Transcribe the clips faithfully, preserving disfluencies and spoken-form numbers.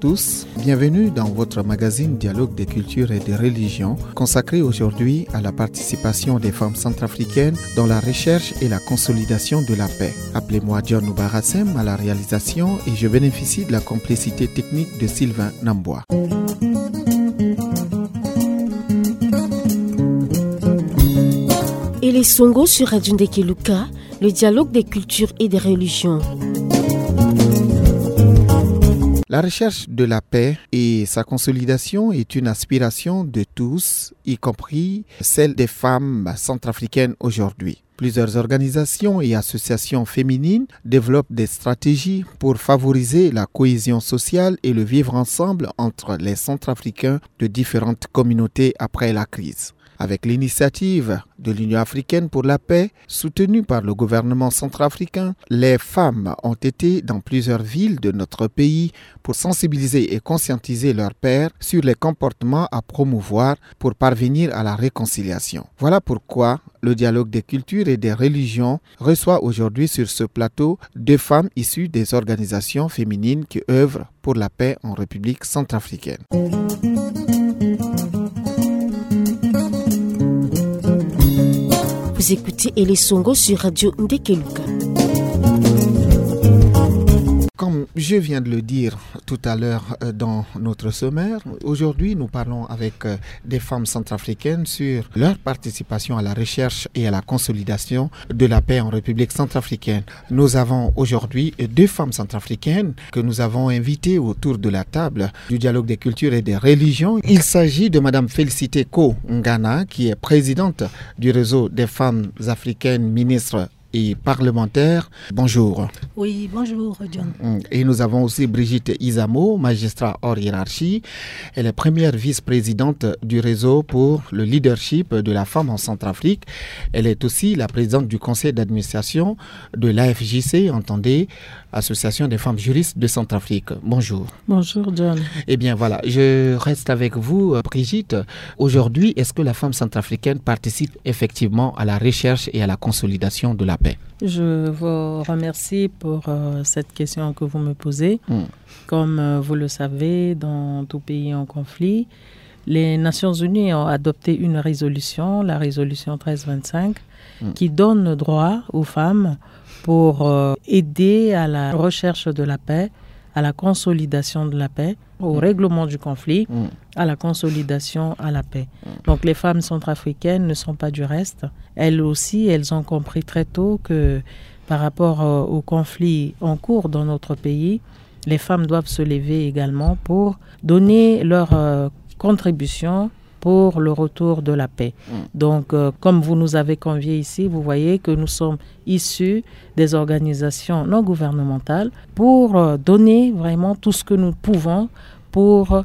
tous, bienvenue dans votre magazine Dialogue des cultures et des religions, consacré aujourd'hui à la participation des femmes centrafricaines dans la recherche et la consolidation de la paix. Appelez-moi John Oubarassem à la réalisation et je bénéficie de la complicité technique de Sylvain Nambois. Ele Songo sur Radio Ndeke Luka, le dialogue des cultures et des religions. La recherche de la paix et sa consolidation est une aspiration de tous, y compris celle des femmes centrafricaines aujourd'hui. Plusieurs organisations et associations féminines développent des stratégies pour favoriser la cohésion sociale et le vivre ensemble entre les Centrafricains de différentes communautés après la crise. Avec l'initiative de l'Union africaine pour la paix, soutenue par le gouvernement centrafricain, les femmes ont été dans plusieurs villes de notre pays pour sensibiliser et conscientiser leurs pairs sur les comportements à promouvoir pour parvenir à la réconciliation. Voilà pourquoi le dialogue des cultures et des religions reçoit aujourd'hui sur ce plateau deux femmes issues des organisations féminines qui œuvrent pour la paix en République centrafricaine. Vous écoutez Ele Songo sur Radio Ndeke Luka. Comme je viens de le dire tout à l'heure, euh, dans notre sommaire, aujourd'hui nous parlons avec, euh, des femmes centrafricaines sur leur participation à la recherche et à la consolidation de la paix en République centrafricaine. Nous avons aujourd'hui deux femmes centrafricaines que nous avons invitées autour de la table du dialogue des cultures et des religions. Il s'agit de Madame Félicité Ko Ngana, qui est présidente du réseau des femmes africaines ministres et parlementaires. Bonjour. Oui, bonjour, John. Mm. Et nous avons aussi Brigitte Izamo, magistrat hors hiérarchie. Elle est première vice-présidente du réseau pour le leadership de la femme en Centrafrique. Elle est aussi la présidente du conseil d'administration de l'A F J C, entendez, Association des femmes juristes de Centrafrique. Bonjour. Bonjour, John. Eh bien voilà, je reste avec vous, euh, Brigitte. Aujourd'hui, est-ce que la femme centrafricaine participe effectivement à la recherche et à la consolidation de la paix ? Je vous remercie pour, euh, cette question que vous me posez. Hmm. Comme, euh, vous le savez, dans tout pays en conflit, les Nations Unies ont adopté une résolution, la résolution treize vingt-cinq, hmm, qui donne droit aux femmes pour, euh, aider à la recherche de la paix, à la consolidation de la paix, au, hmm, règlement du conflit, hmm, à la consolidation à la paix. Hmm. Donc les femmes centrafricaines ne sont pas du reste. Elles aussi, elles ont compris très tôt que par rapport, euh, au conflit en cours dans notre pays, les femmes doivent se lever également pour donner leur, euh, contribution pour le retour de la paix. Mm. Donc, euh, comme vous nous avez conviés ici, vous voyez que nous sommes issus des organisations non gouvernementales pour, euh, donner vraiment tout ce que nous pouvons pour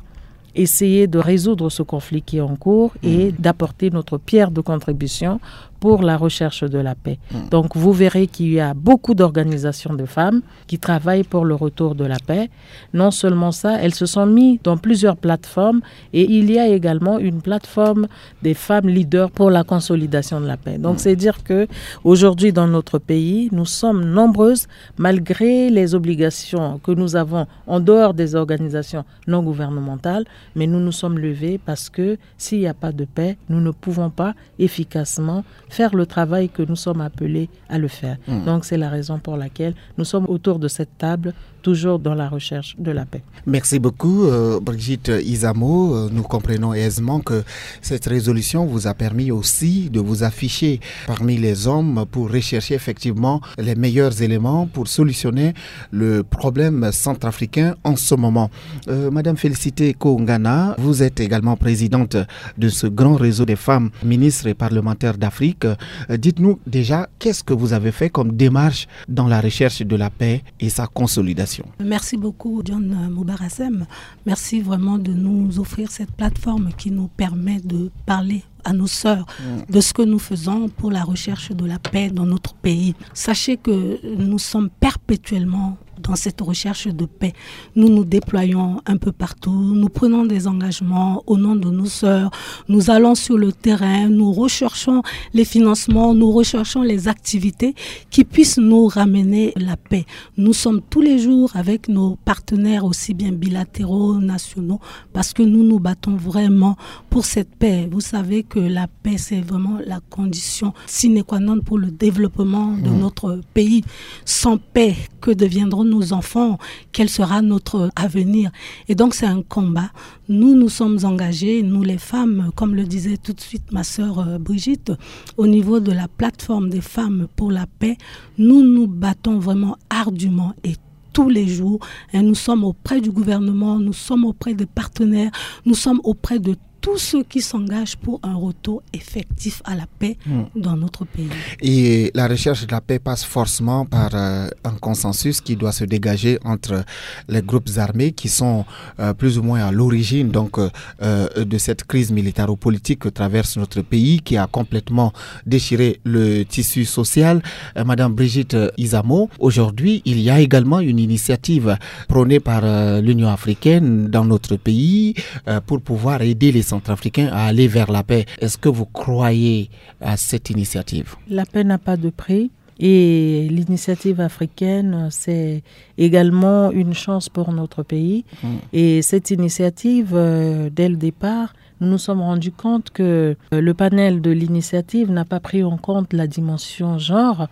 essayer de résoudre ce conflit qui est en cours et, mm, d'apporter notre pierre de contribution pour la recherche de la paix. Mm. Donc, vous verrez qu'il y a beaucoup d'organisations de femmes qui travaillent pour le retour de la paix. Non seulement ça, elles se sont mises dans plusieurs plateformes et il y a également une plateforme des femmes leaders pour la consolidation de la paix. Donc, mm, c'est dire que aujourd'hui, dans notre pays, nous sommes nombreuses, malgré les obligations que nous avons en dehors des organisations non gouvernementales, mais nous nous sommes levées parce que s'il n'y a pas de paix, nous ne pouvons pas efficacement faire le travail que nous sommes appelés à le faire. Hmm. Donc, c'est la raison pour laquelle nous sommes autour de cette table, toujours dans la recherche de la paix. Merci beaucoup, euh, Brigitte Izamo. Euh, nous comprenons aisément que cette résolution vous a permis aussi de vous afficher parmi les hommes pour rechercher effectivement les meilleurs éléments pour solutionner le problème centrafricain en ce moment. Euh, Madame Félicité Ko Ngana, vous êtes également présidente de ce grand réseau des femmes ministres et parlementaires d'Afrique. Euh, dites-nous déjà, qu'est-ce que vous avez fait comme démarche dans la recherche de la paix et sa consolidation ? Merci beaucoup, John Moubarassem. Merci vraiment de nous offrir cette plateforme qui nous permet de parler à nos sœurs, mm, de ce que nous faisons pour la recherche de la paix dans notre pays. Sachez que nous sommes perpétuellement dans cette recherche de paix. Nous nous déployons un peu partout, nous prenons des engagements au nom de nos sœurs, nous allons sur le terrain, nous recherchons les financements, nous recherchons les activités qui puissent nous ramener la paix. Nous sommes tous les jours avec nos partenaires, aussi bien bilatéraux, nationaux, parce que nous nous battons vraiment pour cette paix. Vous savez que la paix, c'est vraiment la condition sine qua non pour le développement de notre pays. Sans paix, que deviendront nos enfants ? Quel sera notre avenir ? Et donc, c'est un combat. Nous, nous sommes engagés, nous les femmes, comme le disait tout de suite ma sœur, euh, Brigitte, au niveau de la plateforme des femmes pour la paix. Nous nous battons vraiment ardument et tous les jours. Et nous sommes auprès du gouvernement, nous sommes auprès des partenaires, nous sommes auprès de tous ceux qui s'engagent pour un retour effectif à la paix dans notre pays. Et la recherche de la paix passe forcément par, euh, un consensus qui doit se dégager entre les groupes armés qui sont, euh, plus ou moins à l'origine, donc, euh, euh, de cette crise militaro-politique que traverse notre pays, qui a complètement déchiré le tissu social. Euh, Madame Brigitte, euh, Izamo, aujourd'hui, il y a également une initiative prônée par, euh, l'Union africaine dans notre pays, euh, pour pouvoir aider les Centrafricains à aller vers la paix. Est-ce que vous croyez à cette initiative ? La paix n'a pas de prix. Et l'initiative africaine, c'est également une chance pour notre pays. Et cette initiative, euh, dès le départ, nous nous sommes rendus compte que, euh, le panel de l'initiative n'a pas pris en compte la dimension genre.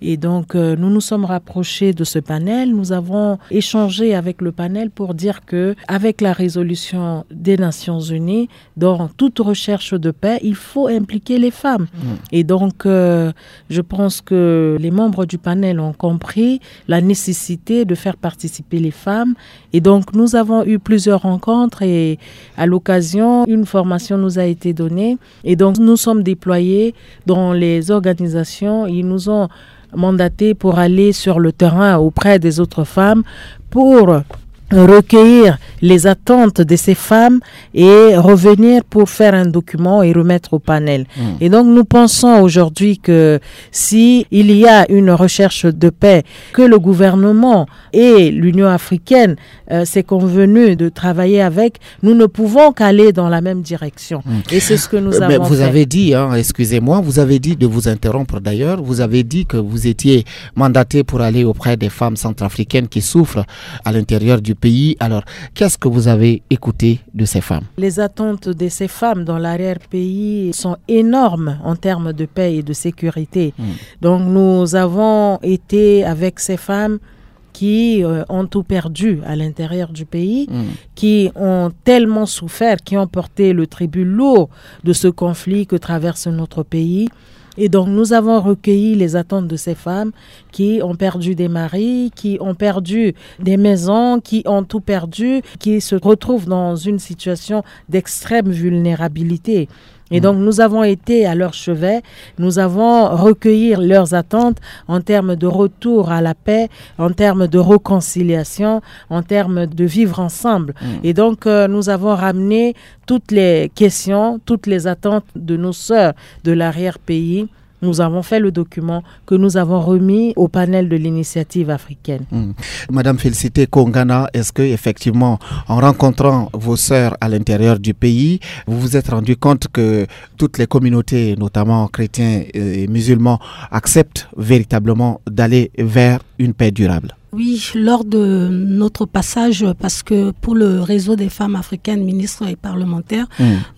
Et donc, euh, nous nous sommes rapprochés de ce panel. Nous avons échangé avec le panel pour dire que, avec la résolution des Nations Unies, dans toute recherche de paix, il faut impliquer les femmes. Et donc, euh, je pense que les membres du panel ont compris la nécessité de faire participer les femmes. Et donc, nous avons eu plusieurs rencontres et, à l'occasion, une formation nous a été donnée. Et donc, nous sommes déployés dans les organisations. Ils nous ont mandatés pour aller sur le terrain auprès des autres femmes pour recueillir les attentes de ces femmes et revenir pour faire un document et remettre au panel. Et donc, nous pensons aujourd'hui que si il y a une recherche de paix, que le gouvernement et l'Union africaine, euh, s'est convenu de travailler avec, nous ne pouvons qu'aller dans la même direction. Et c'est ce que nous Euh, mais avons vous fait. Avez dit, hein, excusez-moi, vous avez dit, de vous interrompre d'ailleurs, vous avez dit que vous étiez mandaté pour aller auprès des femmes centrafricaines qui souffrent à l'intérieur du pays. Alors, qu'est-ce que vous avez écouté de ces femmes ? Les attentes de ces femmes dans l'arrière-pays sont énormes en termes de paix et de sécurité. Donc nous avons été avec ces femmes qui, euh, ont tout perdu à l'intérieur du pays, qui ont tellement souffert, qui ont porté le tribut lourd de ce conflit que traverse notre pays. Et donc, nous avons recueilli les attentes de ces femmes qui ont perdu des maris, qui ont perdu des maisons, qui ont tout perdu, qui se retrouvent dans une situation d'extrême vulnérabilité. Et donc, nous avons été à leur chevet, nous avons recueilli leurs attentes en termes de retour à la paix, en termes de réconciliation, en termes de vivre ensemble. Et donc, euh, nous avons ramené toutes les questions, toutes les attentes de nos sœurs de l'arrière-pays. Nous avons fait le document que nous avons remis au panel de l'initiative africaine. Madame Félicité Kongana, est-ce que effectivement, en rencontrant vos sœurs à l'intérieur du pays, vous vous êtes rendu compte que toutes les communautés, notamment chrétiens et musulmans, acceptent véritablement d'aller vers une paix durable ? Oui, lors de notre passage, parce que pour le réseau des femmes africaines, ministres et parlementaires,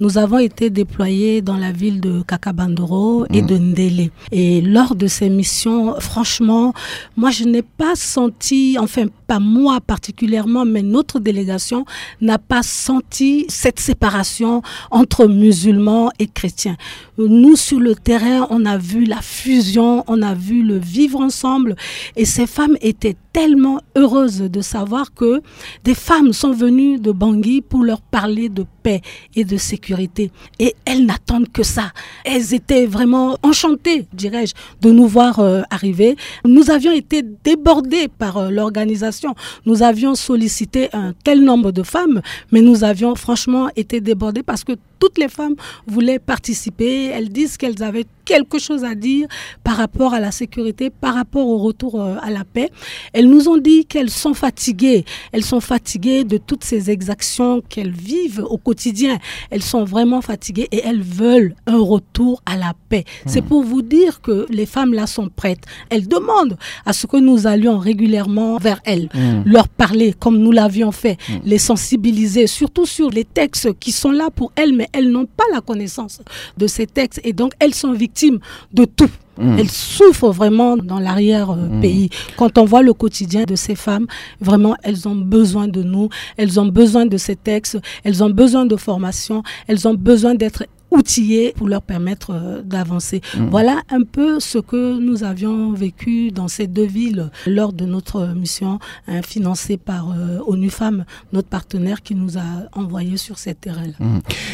nous avons été déployés dans la ville de Kakabandoro et de Ndélé. Et lors de ces missions, franchement, moi, je n'ai pas senti, enfin, pas moi particulièrement, mais notre délégation n'a pas senti cette séparation entre musulmans et chrétiens. Nous, sur le terrain, on a vu la fusion, on a vu le vivre ensemble. Et ces femmes étaient tellement heureuses de savoir que des femmes sont venues de Bangui pour leur parler de paix et de sécurité. Et elles n'attendent que ça. Elles étaient vraiment enchantées, dirais-je, de nous voir, euh, arriver. Nous avions été débordés par, euh, l'organisation. Nous avions sollicité un tel nombre de femmes, mais nous avions franchement été débordés parce que Toutes les femmes voulaient participer. Elles disent qu'elles avaient quelque chose à dire par rapport à la sécurité, par rapport au retour, euh, à la paix. Elles nous ont dit qu'elles sont fatiguées. Elles sont fatiguées de toutes ces exactions qu'elles vivent au quotidien. Elles sont vraiment fatiguées et elles veulent un retour à la paix. C'est pour vous dire que les femmes là sont prêtes. Elles demandent à ce que nous allions régulièrement vers elles, leur parler comme nous l'avions fait, les sensibiliser, surtout sur les textes qui sont là pour elles, mais elles n'ont pas la connaissance de ces textes et donc elles sont victimes de tout. Elles souffrent vraiment dans l'arrière-pays. Quand on voit le quotidien de ces femmes, vraiment, elles ont besoin de nous, elles ont besoin de ces textes, elles ont besoin de formation, elles ont besoin d'être outillées pour leur permettre, euh, d'avancer. Voilà un peu ce que nous avions vécu dans ces deux villes lors de notre mission, hein, financée par, euh, ONU Femmes, notre partenaire qui nous a envoyés sur ces terrains-là.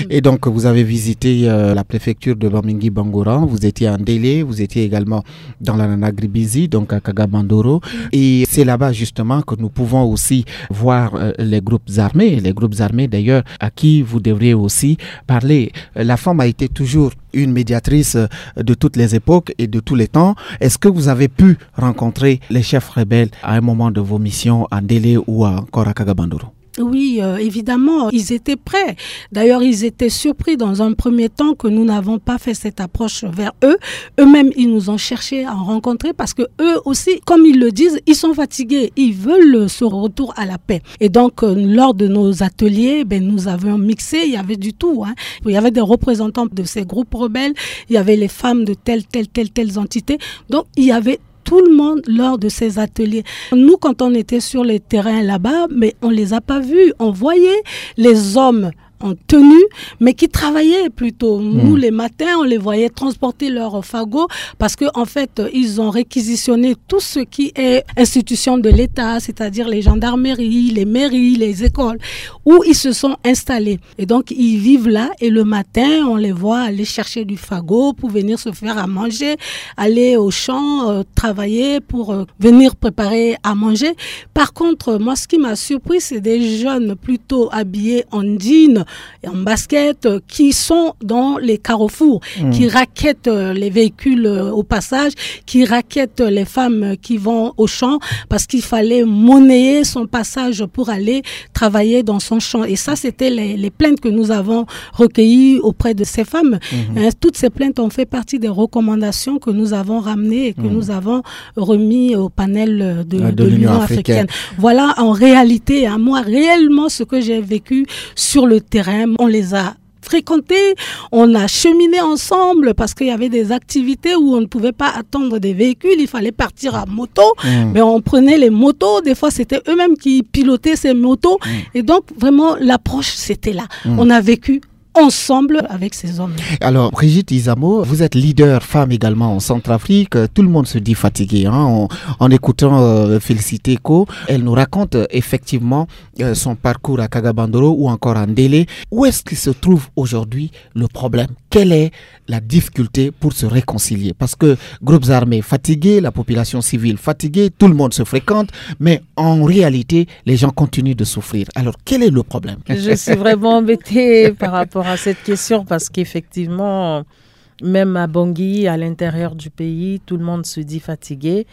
Et donc, vous avez visité, euh, la préfecture de Bamingui Bangoran, vous étiez à Ndélé, vous étiez également dans la Nana Gribizi, donc à Kaga Bandoro. Et c'est là-bas justement que nous pouvons aussi voir, euh, les groupes armés, les groupes armés d'ailleurs à qui vous devriez aussi parler. Euh, la femme a été toujours une médiatrice, euh, de toutes les époques et de tous les temps. Est-ce que vous avez pu rencontrer les chefs rebelles à un moment de vos missions à Ndélé ou à, encore à Kaga Bandoro ? Oui, euh, évidemment, ils étaient prêts. D'ailleurs, ils étaient surpris dans un premier temps que nous n'avons pas fait cette approche vers eux. Eux-mêmes, ils nous ont cherché à rencontrer parce que eux aussi, comme ils le disent, ils sont fatigués. Ils veulent ce retour à la paix. Et donc, euh, lors de nos ateliers, ben, nous avions mixé, il y avait du tout, hein. Il y avait des représentants de ces groupes rebelles, il y avait les femmes de telle, telle, telle, telle entité. Donc, il y avait tout le monde lors de ces ateliers. Nous, quand on était sur les terrains là-bas, mais on les a pas vus. On voyait les hommes en tenue, mais qui travaillaient plutôt. Nous, les matins, on les voyait transporter leur fagot parce que, en fait, ils ont réquisitionné tout ce qui est institution de l'État, c'est-à-dire les gendarmeries, les mairies, les écoles, où ils se sont installés. Et donc, ils vivent là et le matin, on les voit aller chercher du fagot pour venir se faire à manger, aller au champ, euh, travailler pour, euh, venir préparer à manger. Par contre, moi, ce qui m'a surpris, c'est des jeunes plutôt habillés en jean et en basket, euh, qui sont dans les carrefours, qui raquettent, euh, les véhicules, euh, au passage, qui raquettent les femmes, euh, qui vont au champ parce qu'il fallait monnayer son passage pour aller travailler dans son champ. Et ça, c'était les, les plaintes que nous avons recueillies auprès de ces femmes. Hein, toutes ces plaintes ont fait partie des recommandations que nous avons ramenées et que nous avons remis au panel, euh, de, de l'Union africaine. Voilà, en réalité, hein, moi, réellement, ce que j'ai vécu sur le terrain, on les a fréquentés, on a cheminé ensemble parce qu'il y avait des activités où on ne pouvait pas attendre des véhicules, il fallait partir à moto, mais on prenait les motos, des fois c'était eux-mêmes qui pilotaient ces motos, et donc vraiment l'approche c'était là. On a vécu ensemble avec ces hommes. Alors, Brigitte Izamo, vous êtes leader femme également en Centrafrique. Tout le monde se dit fatigué, hein, en, en écoutant, euh, Félicité Ko. Elle nous raconte, euh, effectivement, euh, son parcours à Kagabandoro ou encore à Ndélé. Où est-ce que se trouve aujourd'hui le problème ? Quelle est la difficulté pour se réconcilier ? Parce que groupes armés fatigués, la population civile fatiguée, tout le monde se fréquente, mais en réalité, les gens continuent de souffrir. Alors, quel est le problème ? Je suis vraiment embêtée par rapport à cette question parce qu'effectivement, même à Bangui, à l'intérieur du pays, tout le monde se dit fatigué.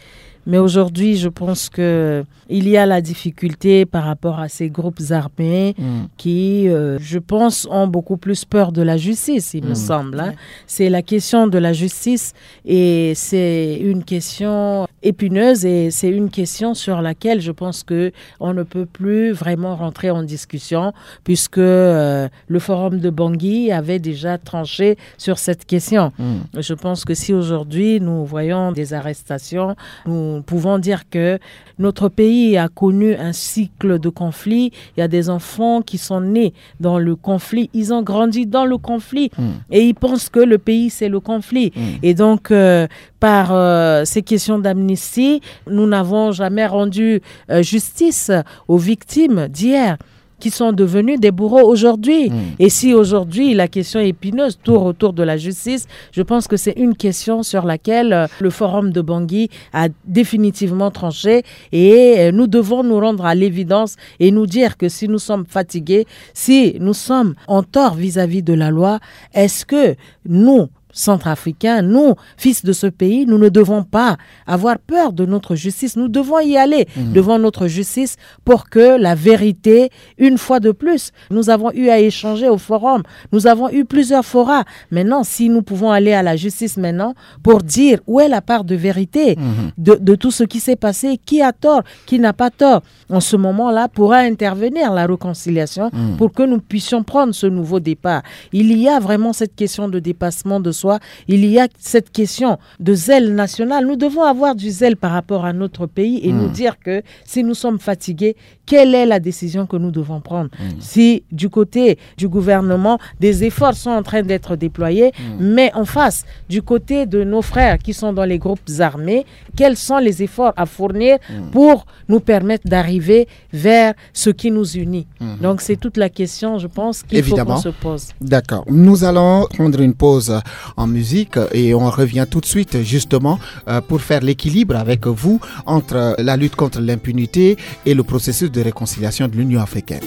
Mais aujourd'hui, je pense que il y a la difficulté par rapport à ces groupes armés qui, euh, je pense, ont beaucoup plus peur de la justice, il me semble, hein. C'est la question de la justice et c'est une question épineuse et c'est une question sur laquelle je pense que on ne peut plus vraiment rentrer en discussion puisque, euh, le forum de Bangui avait déjà tranché sur cette question. Je pense que si aujourd'hui nous voyons des arrestations, nous pouvons dire que notre pays a connu un cycle de conflit. Il y a des enfants qui sont nés dans le conflit. Ils ont grandi dans le conflit et ils pensent que le pays, c'est le conflit. Et donc, euh, par, euh, ces questions d'amnistie, nous n'avons jamais rendu, euh, justice aux victimes d'hier. qui sont devenus des bourreaux aujourd'hui. Mm. Et si aujourd'hui la question épineuse tourne autour de la justice, je pense que c'est une question sur laquelle euh, le Forum de Bangui a définitivement tranché. Et euh, nous devons nous rendre à l'évidence et nous dire que si nous sommes fatigués, si nous sommes en tort vis-à-vis de la loi, est-ce que nous, Centrafricains, nous, fils de ce pays, nous ne devons pas avoir peur de notre justice. Nous devons y aller devant notre justice pour que la vérité, une fois de plus, nous avons eu à échanger au forum. Nous avons eu plusieurs forats. Maintenant, si nous pouvons aller à la justice maintenant pour dire où est la part de vérité de, de tout ce qui s'est passé, qui a tort, qui n'a pas tort, en ce moment-là, pourra intervenir la réconciliation pour que nous puissions prendre ce nouveau départ. Il y a vraiment cette question de dépassement de soi, il y a cette question de zèle national. Nous devons avoir du zèle par rapport à notre pays et nous dire que si nous sommes fatigués, quelle est la décision que nous devons prendre ? Si du côté du gouvernement, des efforts sont en train d'être déployés, mais en face, du côté de nos frères qui sont dans les groupes armés, quels sont les efforts à fournir pour nous permettre d'arriver vers ce qui nous unit ? Donc c'est toute la question, je pense, qu'il faut qu'on se pose. D'accord. Nous allons prendre une pause en musique et on revient tout de suite justement euh, pour faire l'équilibre avec vous entre la lutte contre l'impunité et le processus de réconciliation de l'Union africaine.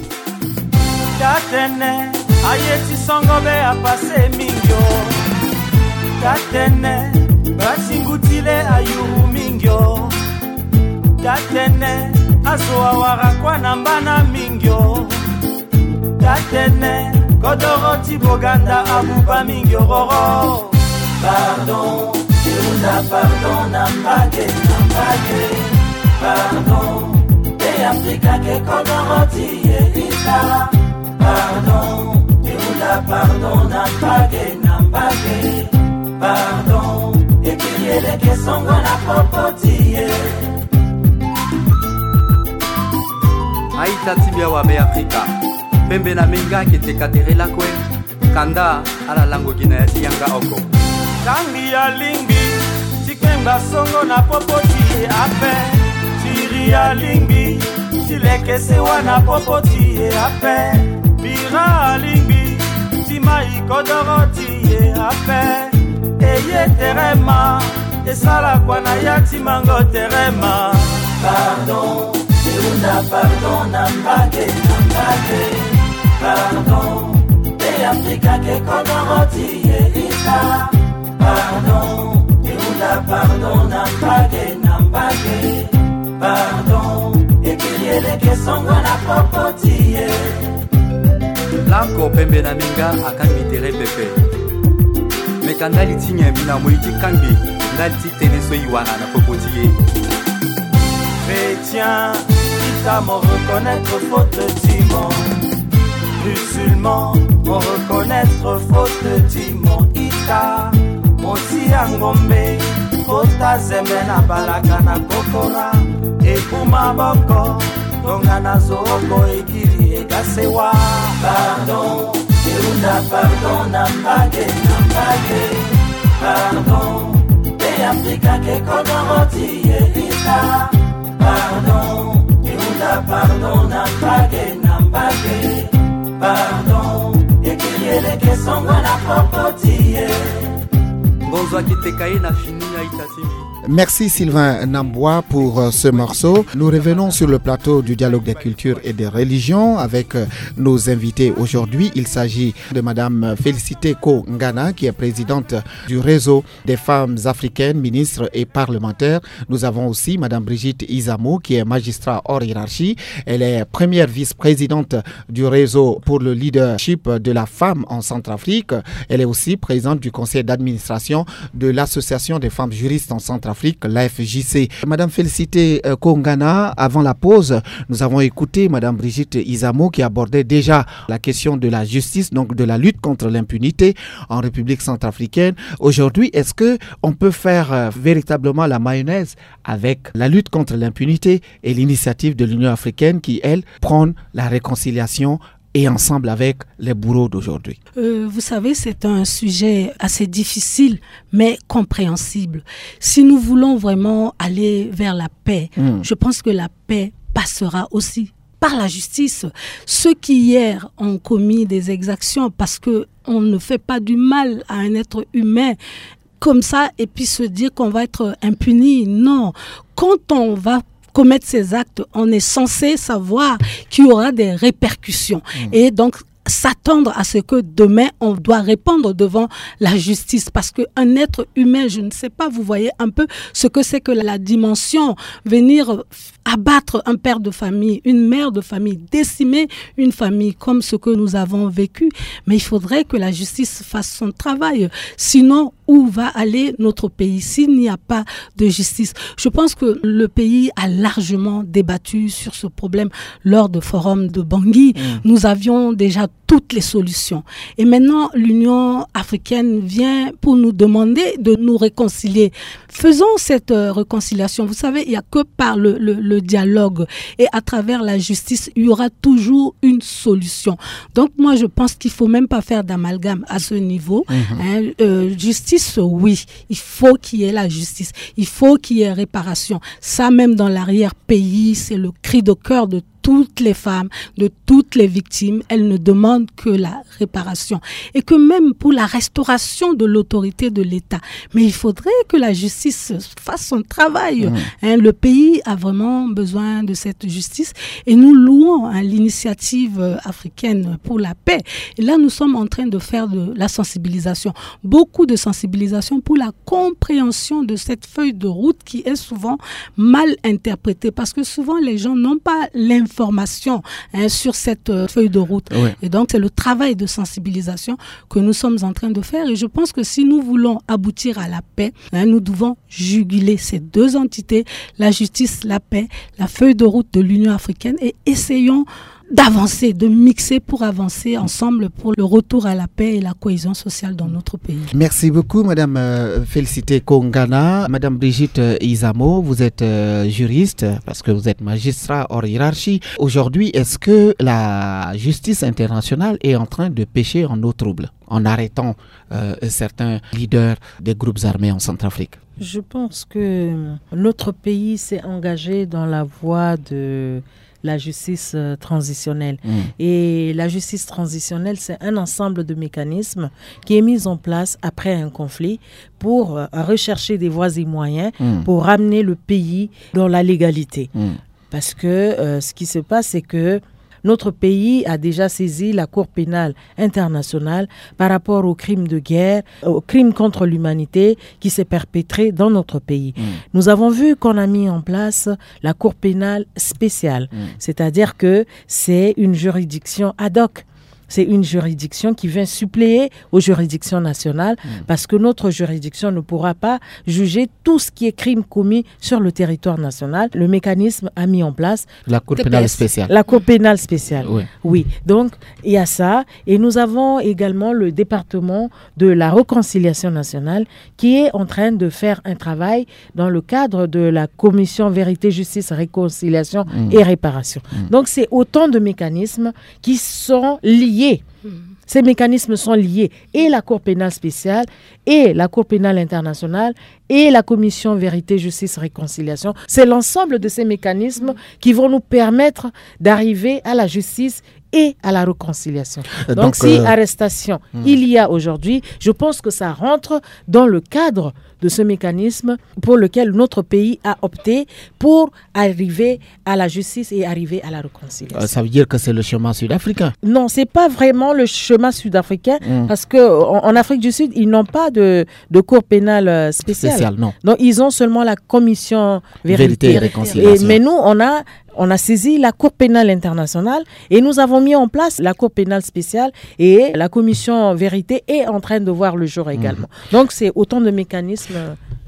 Tatene, ayeti songo be apase mingio. Tatene, basingutile ayuru mingio. Tatene, azo awara kwa na mbana mingio. Tatene, kodoro ti boganda abuba mingio roro. Pardon, eunda pardon na mbage na mbage. Pardon, e Afrika ke kodoro ti ye ita. Pardon, eunda pardon na mbage na mbage. Pardon, ekiliele ke songo na popo ti ye. Aita ti mbi awa be Afrika. Pembe na menga ke teka tere lakue. Kanda ala lango gi na ya ti yanga oko. Kangbi alingbi ti kpengba songo na popo ti ye ape. Tiri alingbi ti leke sewa na popo ti ye ape. Bira alingbi ti mai kodoro ti ye ape. Eye tere ma esala kua na ya ti mango tere ma. Pardon, eunda pardon na mbage na mbage. Pardon, e Afrika ke kodoro ti ye ita. Pardon, eunda pardon na mbage na mbage. Pardon, ekiliele ke songo na popo ti ye. Lako pembe na minga akangbi tere pepe. Meka ndali ti nyen mbi na moi ti kangbi ndali ti tënë so e wara na popo ti ye. Chrétien, ita mo reconnaître faute ti mo. Musulman, mo reconnaître faute ti mo ita. Mo tia ngombe, kota zembe na balaka na kokora. Ebu maboko, tongana zo oko ekiri e ga sewa. Pardon, eunda pardon na mbage na mbage. Pardon, e Afrika ke kodoro ti ye ita. Pardon, eunda pardon na mbage na mbage. Pardon, ekiliele ke songo na popo ti ye. Ngonzo ake teka ye na fini aita ti mbi. Merci Sylvain Nambwa pour euh, ce morceau. Nous revenons sur le plateau du dialogue des cultures et des religions avec euh, nos invités aujourd'hui. Il s'agit de Madame Félicité Ko Ngana, qui est présidente du réseau des femmes africaines, ministres et parlementaires. Nous avons aussi Madame Brigitte Izamo, qui est magistrat hors hiérarchie. Elle est première vice-présidente du réseau pour le leadership de la femme en Centrafrique. Elle est aussi présidente du conseil d'administration de l'Association des femmes juristes en Centrafrique, l'A F J C. Madame Félicité euh, Ko Ngana, avant la pause, nous avons écouté Madame Brigitte Izamo qui abordait déjà la question de la justice, donc de la lutte contre l'impunité en République centrafricaine. Aujourd'hui, est-ce que on peut faire euh, véritablement la mayonnaise avec la lutte contre l'impunité et l'initiative de l'Union africaine qui, elle, prône la réconciliation et ensemble avec les bourreaux d'aujourd'hui ? Euh, vous savez, c'est un sujet assez difficile, mais compréhensible. Si nous voulons vraiment aller vers la paix, je pense que la paix passera aussi par la justice. Ceux qui hier ont commis des exactions, parce que on ne fait pas du mal à un être humain comme ça et puis se dire qu'on va être impuni. Non. Quand on va commettre ces actes, on est censé savoir qu'il y aura des répercussions. Et donc, s'attendre à ce que demain, on doit répondre devant la justice. Parce qu'un être humain, je ne sais pas, vous voyez un peu ce que c'est que la dimension, venir abattre un père de famille, une mère de famille, décimer une famille comme ce que nous avons vécu. Mais il faudrait que la justice fasse son travail. Sinon, où va aller notre pays s'il n'y a pas de justice ? Je pense que le pays a largement débattu sur ce problème lors de forum de Bangui. Nous avions déjà toutes les solutions. Et maintenant, l'Union africaine vient pour nous demander de nous réconcilier. Faisons cette, euh, réconciliation. Vous savez, il n'y a que par le, le, le dialogue et à travers la justice, il y aura toujours une solution. Donc moi, je pense qu'il faut même pas faire d'amalgame à ce niveau. Hein, euh, justice, oui, il faut qu'il y ait la justice, il faut qu'il y ait réparation. Ça, même dans l'arrière-pays, c'est le cri de cœur de toutes les femmes, de toutes les victimes. Elles ne demandent que la réparation. Et que même pour la restauration de l'autorité de l'État, mais il faudrait que la justice fasse son travail. Hein, le pays a vraiment besoin de cette justice et nous louons, hein, l'initiative, euh, africaine pour la paix. Et là, nous sommes en train de faire de la sensibilisation, beaucoup de sensibilisation pour la compréhension de cette feuille de route qui est souvent mal interprétée, parce que souvent les gens n'ont pas l'information, hein, sur cette, euh, feuille de route. Et donc, c'est le travail de sensibilisation que nous sommes en train de faire. Et je pense que si nous voulons aboutir à la paix, hein, nous devons juguler ces deux entités, la justice, la paix, la feuille de route de l'Union africaine, et essayons d'avancer, de mixer pour avancer ensemble pour le retour à la paix et la cohésion sociale dans notre pays. Merci beaucoup, Madame, euh, Félicité Kongana. Madame Brigitte, euh, Izamo, vous êtes, euh, juriste, parce que vous êtes magistrat hors hiérarchie. Aujourd'hui, est-ce que la justice internationale est en train de pêcher en eau trouble en arrêtant, euh, certains leaders des groupes armés en Centrafrique ? Je pense que notre pays s'est engagé dans la voie de la justice, euh, transitionnelle. Et la justice transitionnelle, c'est un ensemble de mécanismes qui est mis en place après un conflit pour, euh, rechercher des voies et moyens pour ramener le pays dans la légalité. Parce que, euh, ce qui se passe, c'est que notre pays a déjà saisi la Cour pénale internationale par rapport aux crimes de guerre, aux crimes contre l'humanité qui s'est perpétré dans notre pays. Nous avons vu qu'on a mis en place la Cour pénale spéciale, c'est-à-dire que c'est une juridiction ad hoc. C'est une juridiction qui vient suppléer aux juridictions nationales parce que notre juridiction ne pourra pas juger tout ce qui est crime commis sur le territoire national. Le mécanisme a mis en place la Cour pénale spéciale. La Cour pénale spéciale. Oui. Donc, il y a ça. Et nous avons également le département de la réconciliation nationale qui est en train de faire un travail dans le cadre de la commission vérité, justice, réconciliation et réparation. Donc, c'est autant de mécanismes qui sont liés. Ces mécanismes sont liés. Et la Cour pénale spéciale, et la Cour pénale internationale, et la commission vérité, justice, réconciliation. C'est l'ensemble de ces mécanismes qui vont nous permettre d'arriver à la justice et à la réconciliation. Euh, donc, donc, si, euh, arrestation il y a aujourd'hui, je pense que ça rentre dans le cadre de ce mécanisme pour lequel notre pays a opté pour arriver à la justice et arriver à la réconciliation. Euh, ça veut dire que c'est le chemin sud-africain ? Non, c'est pas vraiment le chemin sud-africain parce que en, en Afrique du Sud, ils n'ont pas de, de cour pénale, euh, spéciale. Spéciale, non. Donc, ils ont seulement la commission vérité. Vérité et réconciliation. Et, mais nous, on a, on a saisi la Cour pénale internationale et nous avons mis en place la Cour pénale spéciale et la commission vérité est en train de voir le jour également. Donc, c'est autant de mécanismes.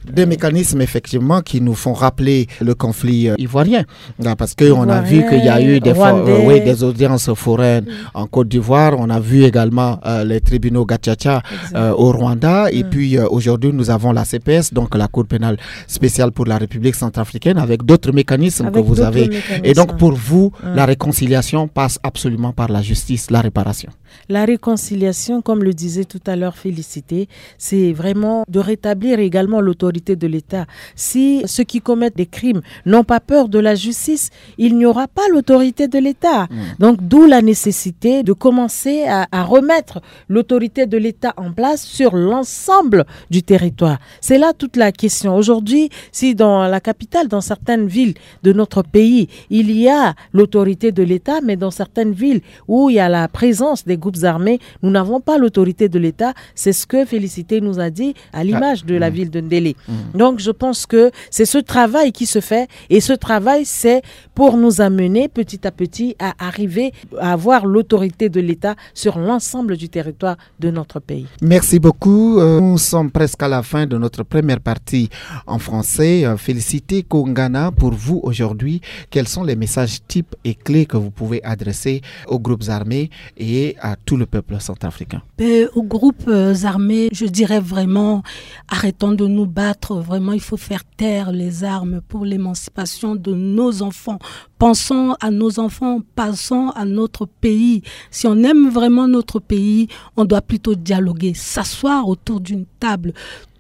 Des mécanismes, effectivement, qui nous font rappeler le conflit, euh, ivoirien. Ah, parce qu'on a vu qu'il y a eu des, fo- euh, oui, des audiences foraines en Côte d'Ivoire. On a vu également, euh, les tribunaux gacaca, euh, au Rwanda. Et puis, euh, aujourd'hui, nous avons la C P S, donc la Cour pénale spéciale pour la République centrafricaine, avec d'autres mécanismes que vous avez. Et donc, pour vous, la réconciliation passe absolument par la justice, la réparation. La réconciliation, comme le disait tout à l'heure Félicité, c'est vraiment de rétablir également l'autorité de l'État. Si ceux qui commettent des crimes n'ont pas peur de la justice, il n'y aura pas l'autorité de l'État. Donc, d'où la nécessité de commencer à, à remettre l'autorité de l'État en place sur l'ensemble du territoire. C'est là toute la question. Aujourd'hui, si dans la capitale, dans certaines villes de notre pays, il y a l'autorité de l'État, mais dans certaines villes où il y a la présence des groupes armés, nous n'avons pas l'autorité de l'État. C'est ce que Félicité nous a dit à l'image de la ville de Ndélé. Donc, je pense que c'est ce travail qui se fait, et ce travail, c'est pour nous amener petit à petit à arriver à avoir l'autorité de l'État sur l'ensemble du territoire de notre pays. Merci beaucoup. Euh, nous sommes presque à la fin de notre première partie en français. Euh, Félicité Kongana, pour vous aujourd'hui, quels sont les messages types et clés que vous pouvez adresser aux groupes armés et à tout le peuple centrafricain? Ben, aux groupes, euh, armés, je dirais vraiment, arrêtons de nous battre. Vraiment, il faut faire taire les armes pour l'émancipation de nos enfants. Pensons à nos enfants, pensons à notre pays. Si on aime vraiment notre pays, on doit plutôt dialoguer, s'asseoir autour d'une table,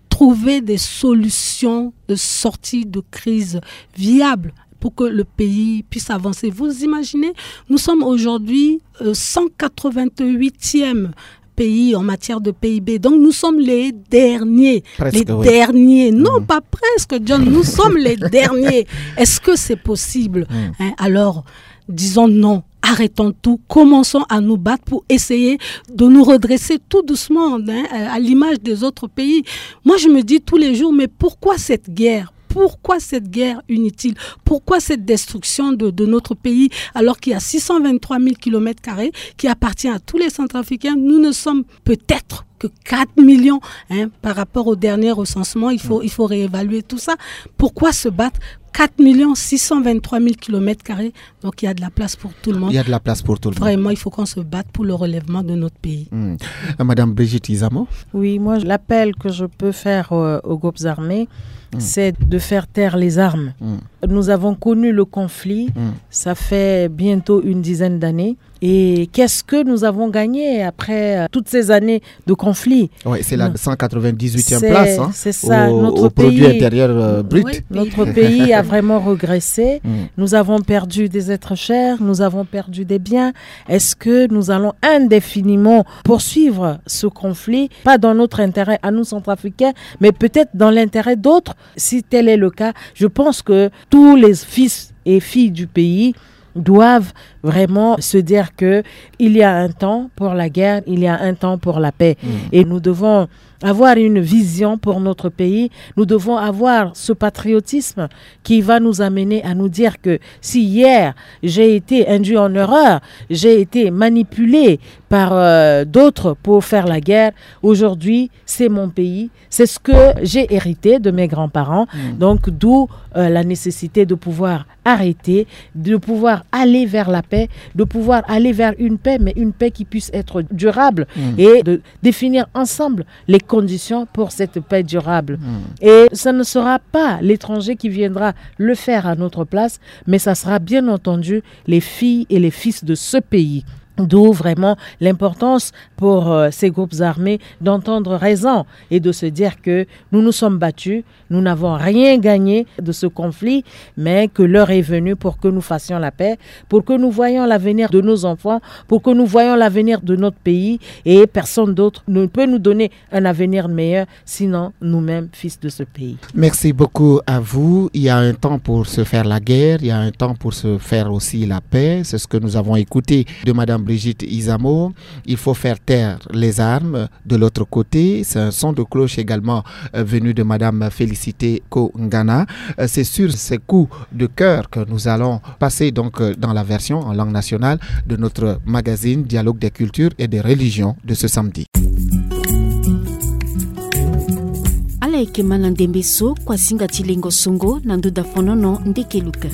trouver des solutions de sortie de crise viables pour que le pays puisse avancer. Vous imaginez, nous sommes aujourd'hui, euh, cent quatre-vingt-huitième pays en matière de P I B. Donc nous sommes les derniers. Presque, les oui. Derniers. Non, pas presque, John. Nous sommes les derniers. Est-ce que c'est possible? Hein, alors, disons non. Arrêtons tout, commençons à nous battre pour essayer de nous redresser tout doucement, hein, à l'image des autres pays. Moi, je me dis tous les jours, mais pourquoi cette guerre? Pourquoi cette guerre inutile? Pourquoi cette destruction de, de notre pays, alors qu'il y a six cent vingt-trois mille kilomètres carrés qui appartient à tous les Centrafricains? Nous ne sommes peut-être que quatre millions, hein, par rapport au dernier recensement. Il faut, il faut réévaluer tout ça. Pourquoi se battre? Quatre millions six cent vingt-trois mille kilomètres carrés. Donc il y a de la place pour tout le monde. Il y a de la place pour tout le monde. Vraiment, il faut qu'on se batte pour le relèvement de notre pays. Hmm. Euh, Madame Brigitte Izamo? Oui, moi, l'appel que je peux faire, euh, aux groupes armés, c'est de faire taire les armes. Nous avons connu le conflit, ça fait bientôt une dizaine d'années. Et qu'est-ce que nous avons gagné après, euh, toutes ces années de conflit? Oui, c'est la cent quatre-vingt-dix-huitième place, hein, c'est ça, au, notre au produit intérieur, euh, brut. Oui, notre pays a vraiment régressé. Nous avons perdu des êtres chers, nous avons perdu des biens. Est-ce que nous allons indéfiniment poursuivre ce conflit, pas dans notre intérêt à nous, Centrafricains, mais peut-être dans l'intérêt d'autres? Si tel est le cas, je pense que tous les fils et filles du pays doivent vraiment se dire que il y a un temps pour la guerre, il y a un temps pour la paix. Et nous devons avoir une vision pour notre pays. Nous devons avoir ce patriotisme qui va nous amener à nous dire que si hier j'ai été induit en erreur, j'ai été manipulé par, euh, d'autres pour faire la guerre, aujourd'hui c'est mon pays, c'est ce que j'ai hérité de mes grands-parents. Donc d'où, euh, la nécessité de pouvoir arrêter, de pouvoir aller vers la paix, de pouvoir aller vers une paix, mais une paix qui puisse être durable, et de définir ensemble les conditions pour cette paix durable. Et ce ne sera pas l'étranger qui viendra le faire à notre place, mais ça sera bien entendu les filles et les fils de ce pays. D'où vraiment l'importance pour, euh, ces groupes armés d'entendre raison et de se dire que nous nous sommes battus, nous n'avons rien gagné de ce conflit, mais que l'heure est venue pour que nous fassions la paix, pour que nous voyions l'avenir de nos enfants, pour que nous voyions l'avenir de notre pays, et personne d'autre ne peut nous donner un avenir meilleur, sinon nous-mêmes, fils de ce pays. Merci beaucoup à vous. Il y a un temps pour se faire la guerre, il y a un temps pour se faire aussi la paix. C'est ce que nous avons écouté de Madame Brigitte Izamo. Il faut faire taire les armes. De l'autre côté, c'est un son de cloche également, euh, venu de Madame Félicité Kongana. Euh, c'est sur ces coups de cœur que nous allons passer donc, euh, dans la version en langue nationale de notre magazine Dialogue des cultures et des religions de ce samedi. Ala yeke ma na ndembe so kua singa ti lengo songo na nduda fonono ndeke luka.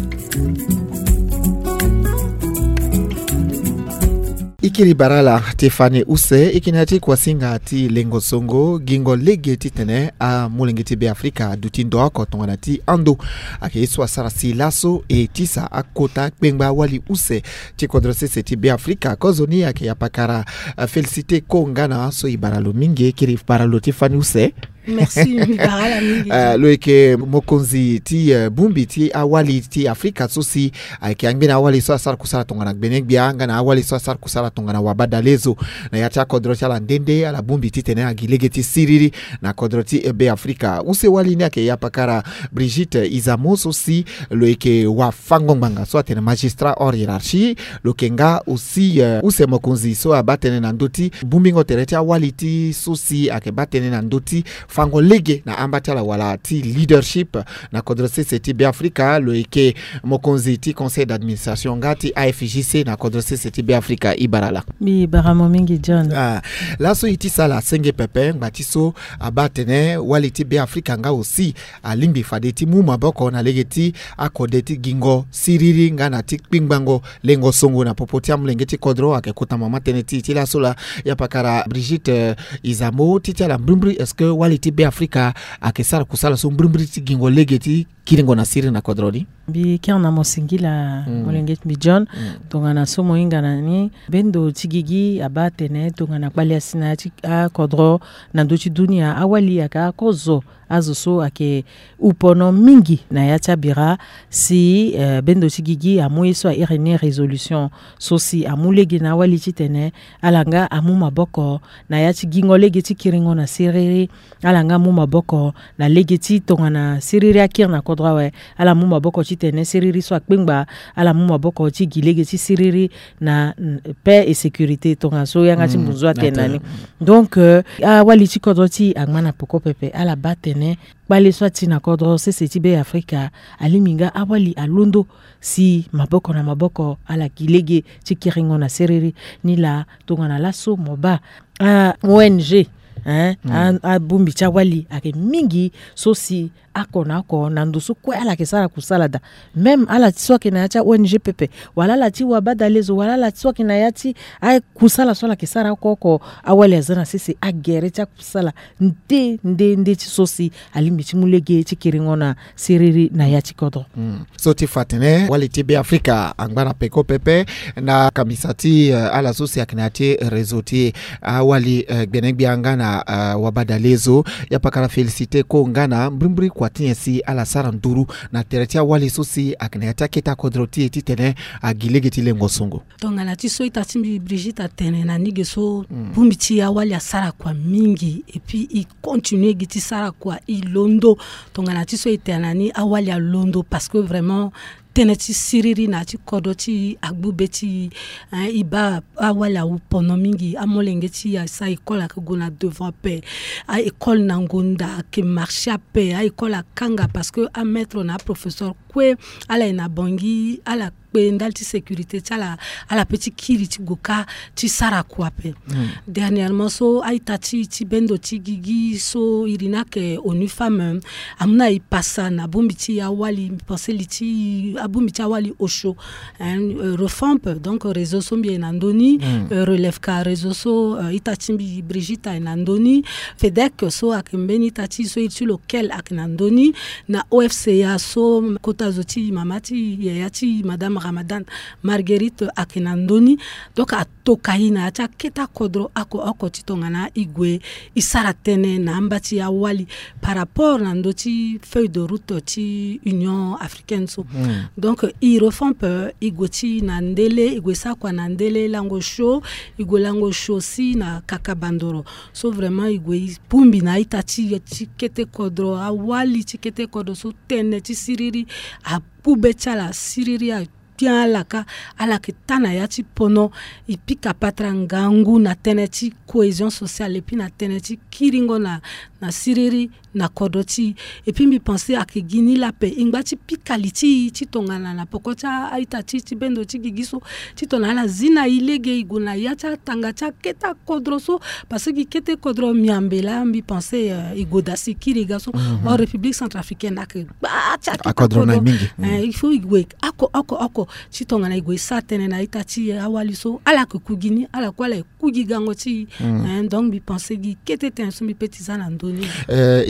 Ikiri bara ala ti fani use, ikina ti kuasinga ti lengo songo, gingo lege titene amolenge ti Beafrika aduti ndo oko tongana ti ando. Ayeke ye so asara si laso e tisa akota kpengba awali use ti kodro sese ti Beafrika. Kozoni ayeke yapakara, eh, Félicité Ko nga na so e bara lo mingi, ikiri bara lo ti fani use. Merci, mi bara ala mingi. Eh, lo yeke mokonzi ti, eh, bongbi ti awali ti Afrika so si ayeke angbeni awali so asara kusala tongana gbene-gbia nga na awali so asara kusala tongana wabadalezo. Na ya ti akodro ti ala nde nde ala bongbi titene agi lege ti siriri na kodro ti Beafrika. Use wali ni ayeke yapakara Brigitte Izamo so si lo yeke wafango-ngbanga so atene magistrat hors hiérarchie. Lo yeke nga aussi, eh, use mokonzi so abaa tënë na ndö ti bongbingo tere ti awali ti so si ayeke baa tënë na ndö ti fango lege na amba ti ala wala ti leadership na kodro sese ti Beafrika. Lo yeke mokonzi ti conseil d'administration nga ti A F J C na kodro sese ti Beafrika. E bara ala. Mi bara mo mingi, John. Ah, laso e tisa ala senge pepe ngba ti so abaa tene wali ti Beafrika nga aussi alingbi fade ti mu maboko na lege ti akode ti gingo siriri nga na ti kpingbango lengo songo na popo ti amolenge ti kodro. Ayeke kota mama tënë ti e ti laso laa, yapakara Brigitte, eh, Izamo, ti ti ala mbrimbri, est-ce que wali ti Beafrika ayeke sara kusala so mbrimbri ti gingo lege ti kiringo na siriri na kodro ni? Mbi kiri na mo singila, mm, molenge ti mbi John. Mm. Tongana so mo hinga na ni, bendo ti gigi abaa atene tongana kpali asi na ya ti akodro na ndö ti dunia, awali ayeke akozo, azo so ayeke upono mingi na ya ti abira, si, eh, bendo ti gigi amu ye so a iri ni résolution so si amu lege na awali titene ala nga amu maboko na ya ti gingo lege ti kiringo na siriri. Ala nga amu maboko na lege ti tongana siriri akiri na kodro awe. Ala mu maboko titene siriri so akpengba. Ala mu maboko ti gi lege ti siriri na, mm, paix et sécurité tongana so yanga ti, mm, mbunzu atene na ni. Donc, euh, awali ti kodro ti e angba na peko pepe. Ala baa tene kpale so ati na kodro sese ti Beafrika alingbi nga awali alondo si maboko na maboko ala gi lege ti kiringo na siriri. Ni laa tongana laso mo baa a O N G, hein, mm, a, abongbi ti awali ayeke mingi so si oko na oko na ndo so kue ala yeke sara kusala daa. Même ala ti so ayeke na ya ti a O N G pepe, wala ala ti wabadalezo, wala ala ti so ayeke na ya ti akusala so ala yeke sara oko oko, awali aza na sese agere ti akusala nde nde nde ti so si alingbi ti mu lege ti kiringo na siriri na ya ti kodro. Mm. So ti fa atene wali ti Beafrika angba na peko pepe na kambisa ti, eh, ala so si ayeke na ya ti réseau ti awali, eh, gbene-gbia nga na, eh, wabadalezo. Yapakara Félicité Ko nga na mbrimbri kua ti nyen si ala sara nduru na tere ti awali so si ayeke na ya ti akete akodro ti e titene agi lege ti lengo songo. Tongana ti so ita ti mbi Brigitte atene na ni ge so, mm, bongbi ti awali asara kua mingi, et puis e continue gi ti sara kua, e londo. Tongana ti so e tene na ni awali alondo parce que vraiment tënë ti siriri na ya ti kodro ti e agbu be ti e, hein, e baa awali awu pono mingi. Amolenge ti e asa école ayeke gue na devant ape. A école na ngonda ayeke marché ape. A école akanga parce que amaître na aprofesseur kue ala ye na Bangui, ala kpe ndali ti sécurité ti ala, ala pe ti kiri ti gue kâ ti sara kua ape. Hmm. Dernièrement so a-ita ti, ti bendo ti gigi so iri ni ayeke ONU Femmes, amu na e pasa na bongbi ti awali, mbi pense li ti, abongbi ti awali osio, hein, euh, Refamp, donc réseau so mbi ye na ndö ni, hmm, euh, Relève ka réseau so, euh, ita ti mbi Brigitte aye na ndö ni, FEDEC so ayeke mbeni ita ti e so iri ti lo Kel ayeke na ndö ni, na O F C A so kota zo ti mama ti yaya ti madame Ramadan Marguerite ayeke na ndö ni. Donc atoka e na ya ti akete akodro oko oko ti tongana e gue e sara tënë na amba ti awali par rapport na ndö ti feuille de route ti Union africaine so. Hmm. Donc e Refamp, e gue ti na ndele, e gue sara kua na ndele lango sio, e gue lango sio si na Kaka Bandoro. So vraiment e gue e bongbi na a-ita ti e ti kete kodro, awali ti kete kodro so tënë ti siriri agbu be ti ala, siriri agbia ala kâ, ala yeke taa na ya ti pono. E pika patara ngangu na tënë ti cohésion sociale, et puis na tënë ti kiringo na, na siriri na kodro ti e. Et puis mbi pense ayeke gi ni laa ape, e ngba ti pika li ti e ti tongana na peko ti a-ita ti e ti bendo ti gigi so, ti tongana ala zi na e lege e gue na ya ti atanga ti akete akodro so, parce que gi kete kodro miambe laa mbi pense, euh, e gue daa si e kiri e ga so. Mhm. Or République centrafricaine ayeke gba ti akete akodro, akodro na e mingi. Eh, Il faut e gue oko oko oko ti tongana e gue e sara tënë na a-ita ti awali so ala yeke ku gi ni, ala kue ala yeke ku gi gango ti e. Donc mbi pense gi kete tënë so mbi pe ti za na ndö ni.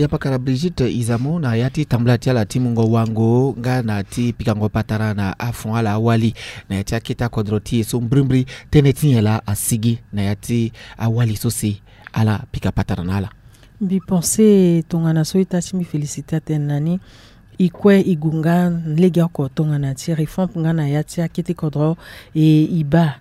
Yapakara Brigitte Izamo, na ya ti tambula ti ala ti mungo wango nga na ti pikango patara na afon ala awali na ya ti akete akodro ti e so, mbrimbri tënë ti nyen laa asigi na ya ti awali so si ala pika patara na ala? Mbi pense tongana so ita ti mbi félicité atene na ni, e kue e gue nga legeoko tongana ti réforme nga na ya ti akete kodro. E e baa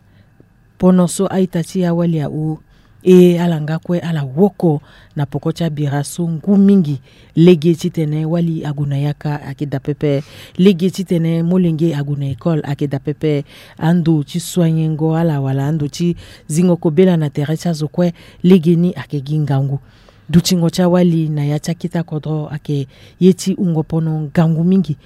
pono so a-ita ti awali ahon, e ala nga kue ala woko na poko ti abira so ngu mingi. Lege titene wali ague na yaka ayeke daa pepe. Lege titene molenge ague na école ayeke daa pepe. Ando ti soignengo ala wala ando ti zingo kobela na tere ti azo kue, legeni ayeke gi ngangu. Dutingo ti awali na ya ti akete akodro ayeke ye ti wungo pono ngangu mingi.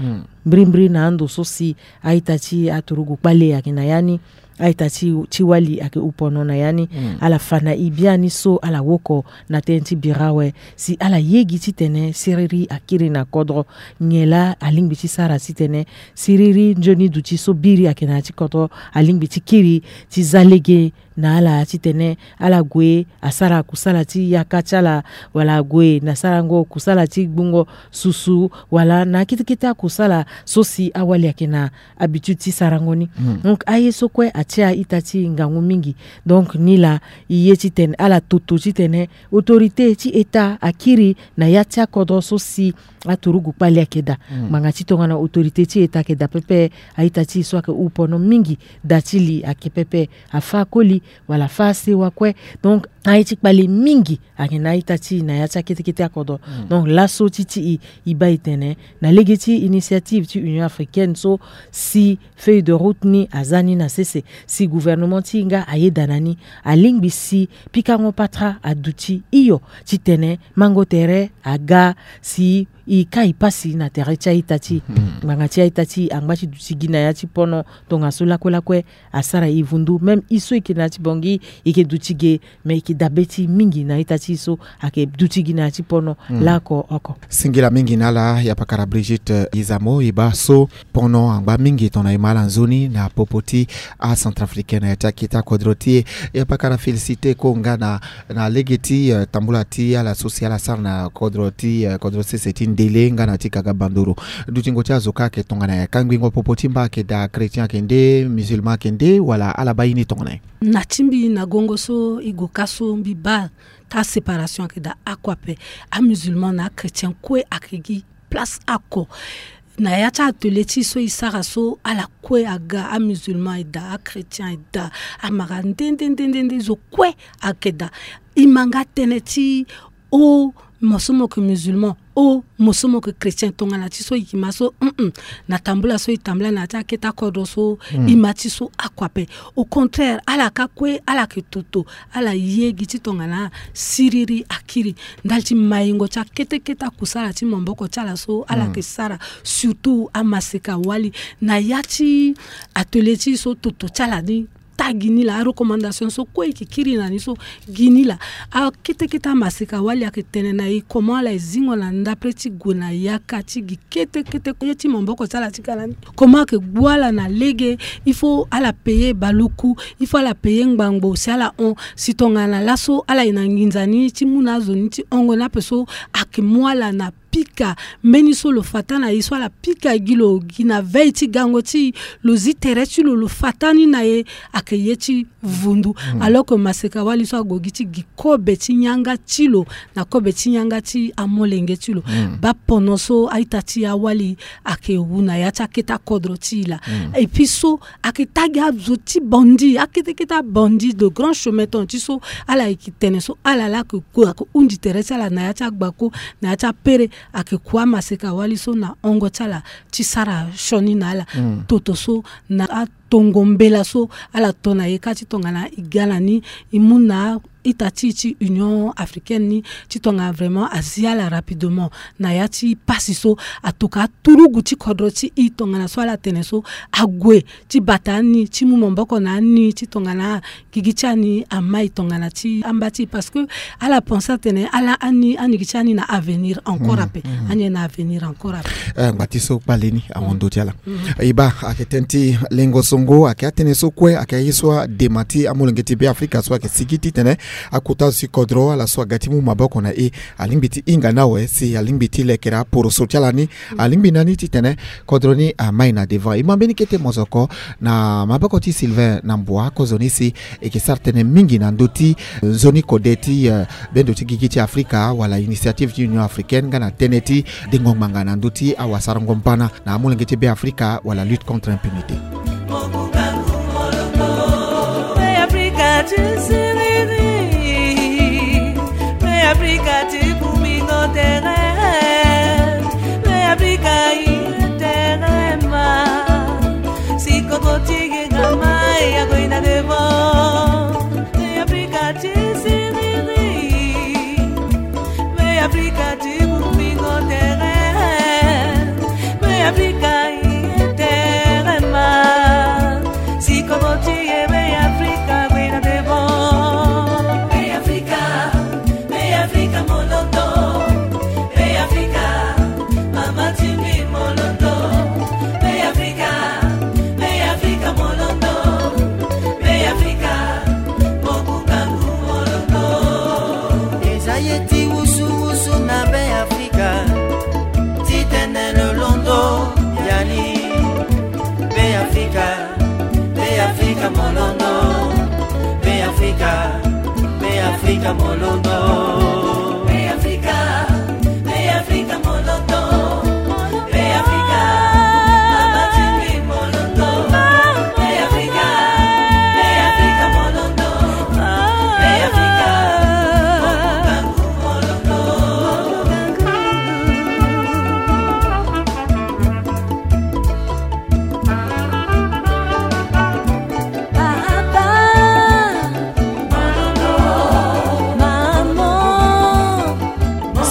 Mbrimbri na ando so si a-ita ti aturugu kpale ayeke na ya ni, a-ita ti ti wali ayeke hu pono na ya ni. Ala fa na e biani so ala woko na tënë ti bira awe si ala ye gi titene siriri akiri na kodro. Nyen laa alingbi ti sara titene siriri nzoni duti so biri ayeke na ya ti kodro alingbi ti kiri ti za lege na ala titene ala gue asara kusala ti yaka ti ala, wala ague na sarango kusala ti gbungo susu, wala na akete kete akusala so si awali ayeke na habitude ti sarango ni. Donc aye so kue atia a-ita ti e ngangu mingi. Donc ni laa e ye titene ala toto titene autorité ti État akiri na ya ti akodro so si aturugu kpale ayeke daa. Ngbanga ti tongana autorité ti État ayeke daa pepe, a-ita ti e so ayeke hu pono mingi, daa ti li ayeke pepe. Afa akoli wala afa asewa kue. Donc aye ti kpale mingi ayeke na a-ita ti e na ya ti akete kete akodro. Donc laso ti ti e, e baa e tene na lege ti initiative ti Union africaine so si feuille de route ni aza ni na sese, si gouvernement ti e nga ayeda na ni, alingbi si pikango patara aduti hio titene mango tere aga si e kai pasi na tere ti a-ita ti e. Ngbanga ti a-ita ti e angba ti duti gi na ya ti pono tongaso lakue lakue asara e vundu. Même e so e yeke na ya ti Bangui e yeke duti ge, me e yeke dabe ti e mingi na a-ita ti e so ayeke duti gi na ya ti pono laoko oko. Singila mingi na ala, yapakara Brigitte Izamo. E baa so pono angba mingi tongana e ma ala nzoni na popo ti acentrafricain na ya ti akete akodro ti e. Yapakara félicité ko nga na na lege ti, eh, tambula ti ala so si ala sara na kodro ti, eh, kodro sese ti Ndele nga na ti Kaga Bandoro. Dutingo ti azo kâ ayeke tongana nyen? Kangbingo popo ti mba ayeke daa, chrétien ayeke nde, musulman ayeke nde, wala ala baa ye ni tongana nyen? Na ti mbi na gongo so e gue kâ so mbi baa ta séparation ayeke daa oko ape. Amusulman na achrétien kue ayeke gi place oko. Na ya ti atelier ti e so e sara so, ala kue aga, amusulman e daa, achrétien e daa, amara nde nde nde nde nde zo kue ayeke daa. E ma nga tënë ti o, mo so mo yeke musulman, o, mo so mo yeke chrétien, tongana ti so e yeke ma so, mm, na tambula so e tambula na ya ti akete akodro so, e ma ti so oko ape. Au contraire, ala kâ kue ala yeke toto, ala ye gi ti tongana siriri akiri ndali ti maingo ti akete kete akusala ti maboko ti ala so ala yeke sara, surtout amaseka wali. Na ya ti atelier ti e so, toto ti ala ni ta gi ni laa, arecommandation so kue e yeke kiri na ni so gi ni laa. Akete kete amaseka wali ayeke tene na e comment ala e zingo na ndapre ti gue na yaka ti gi kete kete ye ti maboko ti ala ti ga na ni. Comment ayeke gbu ala na lege, il faut ala payer baluku, il faut ala payer ngbangbo si ala hon. Si tongana laso ala yeke na nginza ni ti mu na azo ni ti hongo ni ape so, ayeke mu ala na pika mbeni so lo fa taa na e so, ala pika gi lo gi na veille ti gango ti e, lo zi tere ti lo, lo fa taa ni na e, ayeke ye ti vundu. Alors que maseka wali so ague gi ti gi kobe ti yanga ti lo na kobe ti yanga ti amolenge ti lo. Baa pono so a-ita ti e awali ayeke wu na ya ti akete akodro ti e laa. Et puis so ayeke taa gi azo ti bandi, akete kete abandi de grand chemin, ton ti so ala yeke tene so ala laa ayeke ku, ayeke hundi tere ti ala na ya ti agbako, na ya ti apere, ayeke ku amaseka wali so na hongo ti ala ti sara sioni na ala. Toto so na a tongo mbela so ala to na ye kâ ti tongana e ga na ni, e mu na ita ti e ti Union Africaine ni ti tongana vraiment azi ala rapidement na ya ti pasi so. Atoka aturugu ti kodro ti e tongana so ala tene so ague ti bata ani ti mu maboko na ani ti tongana gigi ti ani amai tongana ti amba ti e, parce que ala pense atene ala ani, ani gi ti ani na avenir encore ape. Ani na avenir encore ape. Eh, ngba ti so kpale ni amondo ti ala. E baa, ayeke tënë ti lengo songo, ayeke atënë so kue, ayeke aye so adema ti amolenge ti Beafrika so ayeke sigi titene akota zo ti kodro, ala so aga ti mu maboko na e, alingbi ti hinga ni awe si alingbi ti lekere aporoso ti ala ni. Alingbi na ni titene kodro ni amai na devant. E ma mbeni kete mozoko na maboko ti Sylvain Nambua, kozoni si e yeke sara tënë mingi na ndö ti nzoni kode ti, eh, bendo ti gigi ti Afrika wala initiative ti Union Africaine nga na tënë ti dengo ngbanga na ndö ti awasarango mbana na amolenge ti Beafrika wala lutte contre impunité. Beafrika ti siriri, Beafrika ti kumingo tere, Beafrika i tere ma. Si kodro ti e ga mai, ague na devant. Beafrika ti siriri, Beafrika ti kumingo tere, Beafrika i tere ma. Si kodro ti e Beafrika ague na devant. Beafrika, Beafrika molondo, Beafrika mama ti mbi molondo, Beafrika, Beafrika molondo, Beafrika mokungangu molondo. Eza ye ti wusuwusu na Beafrika, titene lo londo ya ni. Beafrika, Beafrika molondo, Beafrika, Beafrika molondo. Beafrika, Beafrika molondo, Beafrika mama ti mbi molondo, Beafrika, Beafrika molondo, Beafrika mokungangu molondo.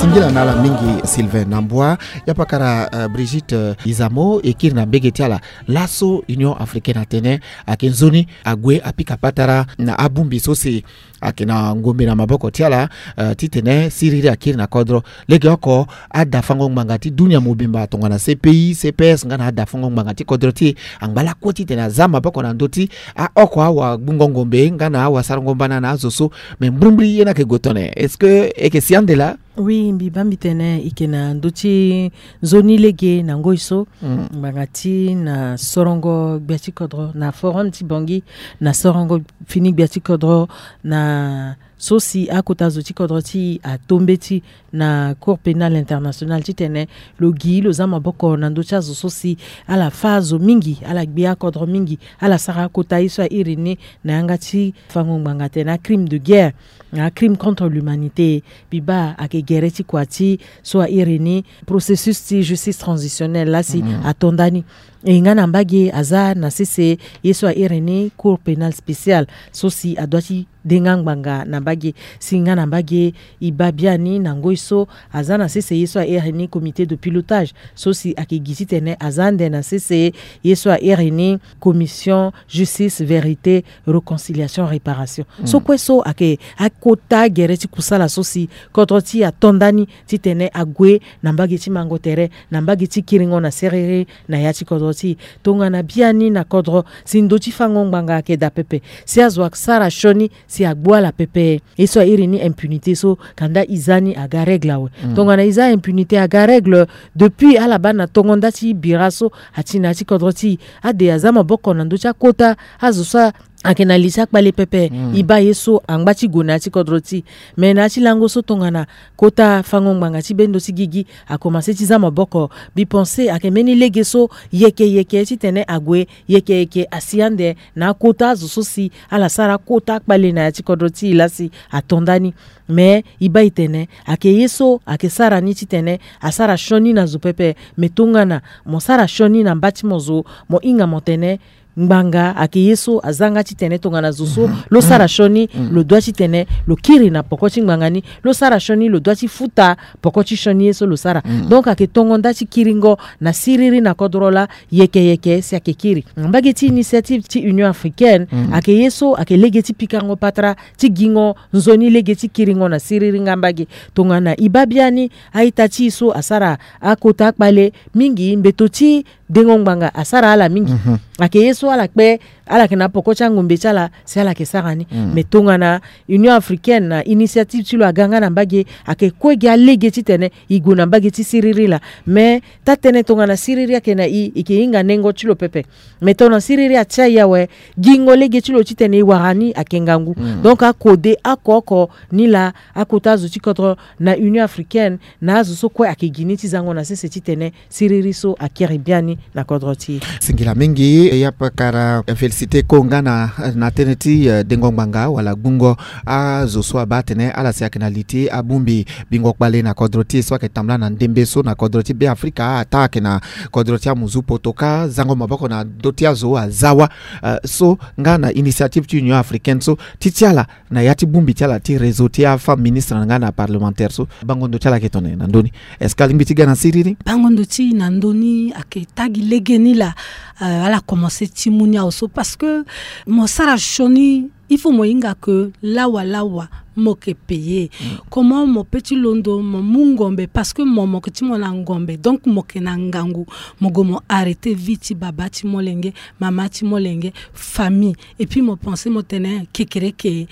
Singila na ala mingi Sylvain Nambua. Ya pakara, eh, Brigitte, eh, Izamo, e kiri na mbege ti ala. Laso Union Africaine atene ayeke nzoni ague apika patara na abongbi so si ayeke na ngombe na maboko ti ala, eh, titene siriri akiri na kodro. Legeoko adafango ngbanga ti dunia mobimba tongana C P I, C P S nga na adafango ngbanga ti kodro ti e angba lakue titene aza maboko na ndö ti aoko awagbungo ngombe nga na awasarango mbana na azo so. Me mbrimbri ye ni ayeke gue tene. Est-ce que e yeke si ande laa? Oui, mbi baa mbi tene e yeke na ndö ti nzoni lege na ngoi so. Mm. Ngbanga ti na sorongo gbia ti kodro na forum ti Bangui, na sorongo fini gbia ti kodro na so si akota zo ti kodro ti e ato mbeti na Cour pénale internationale titene lo gi lo za maboko na ndö ti azo so si ala fâ azo mingi, ala gbe akodro mingi, ala sara akota ye so a iri ni na yanga ti fango ngbanga atene acrime de guerre, acrime contre l'humanité. Mbi baa ayeke gere ti kua ti so a iri ni processus ti justice transitionnelle laa si ato ndani. E nga na mbage aza na sese ye so a iri ni Cour pénale spéciale so si adoit ti denga ngbanga na mbage. Si nga na mbage e baa biani na ngoi so aza na sese ye so a iri ni comité de pilotage so si ayeke gi titene aza ande na sese ye so a iri ni commission justice, vérité, réconciliation, réparation. So kue so ayeke akota gere ti kusala so si kodro ti e ato ndani titene ague na mbage ti mango tere, na mbage ti kiringo na siriri na ya ti kodro ti e. Tongana biani na kodro si ndo ti fango ngbanga ayeke daa pepe, si azo asara sioni si agbu ala pepe. Ye so a iri ni impunité so kanda e za ni aga règle awe. Tongana e za impunité aga règle, depuis ala baa na tongo nda ti bira so ati na ya ti kodro ti e, ade aza maboko na ndö ti akota azo so ayeke na li ti akpale pepe. E baa ye so angba ti gue na ya ti kodro ti e. Me na ya ti lango so tongana kota fango ngbanga ti bendo ti gigi akomanse ti za maboko, mbi pense ayeke mbeni lege so yeke yeke titene ague, yeke yeke asi ande na akota azo so si ala sara akota akpale na ya ti kodro ti e laa si ato ndani. Me e baa e tene ayeke ye so ayeke sara ni titene asara sioni na zo pepe. Me tongana mo sara sioni na mba ti mo zo, mo hinga mo tene Ngbanga ayeke ye so aza nga titene tongana zo so lo sara sioni, lo dua titene lo kiri na poko ti ngbanga ni. Lo sara sioni, lo dua ti futa poko ti sioni ye so lo sara. Donc ayeke tongo nda ti kiringo na siriri na kodro laa yeke yeke si ayeke kiri. Mbage ti initiative ti Union africaine ayeke ye so ayeke lege ti pikango patara, ti gingo nzoni lege ti kiringo na siriri nga mbage. Tongana e baa biani a-ita ti e so asara akota akpale mingi, mbeto ti dengo ngbanga asara ala mingi. Ayeke ye so ala kpe, ala yeke na poko ti angombe ti ala si ala yeke sara ni. Mais tongana Union africaine na initiative ti lo aga nga na mbage, ayeke kue gi alege titene e gue na mbage ti siriri laa. Mais taa-tënë tongana siriri ayeke na e, e yeke hinga nengo ti lo pepe. Mais tongana siriri atia e awe, gingo lege ti lo titene e wara ni ayeke ngangu. Donc akode oko oko ni laa akota azo ti kodro na Union africaine na azo so kue ayeke gi ni ti zango na sese titene siriri so akiri biani na kodro ti e. Singila mingi, e yapa kara félicité ko nga na, na tënë ti, eh, dengo ngbanga wala gbungo azo so abaa atene ala si ayeke na li ti abongbi bingo kpale na kodro ti e so ayeke tambula na ndembe so na kodro ti Be Afrika, ataa ayeke na kodro ti amuzu poto kâ, zango maboko na ndö ti azo aza wa. Eh, so nga na initiative ti Union africaine so, ti ti ala na ya ti bongbi ti ala ti réseau ti afemme ministre na nga na parlementaire so, bango ndo ti ala ayeke tene na ndö ni? Est-ce que alingbi ti ga na siriri? Bango ndo ti e na ndö ni ayeke taa gi lege ni laa, eh, ala komanse ti mu ni awe so, parce que mo sara sioni, il faut mo hinga ke lawa lawa mo yeke payer. Comment mo peut ti londo mo mu ngombe, parce que mo, mo yeke ti mo na ngombe, donc mo yeke na ngangu. Mo gue mo arrêter vie ti baba ti molenge, mama ti molenge, famille. Et puis mo pense mo tene kekereke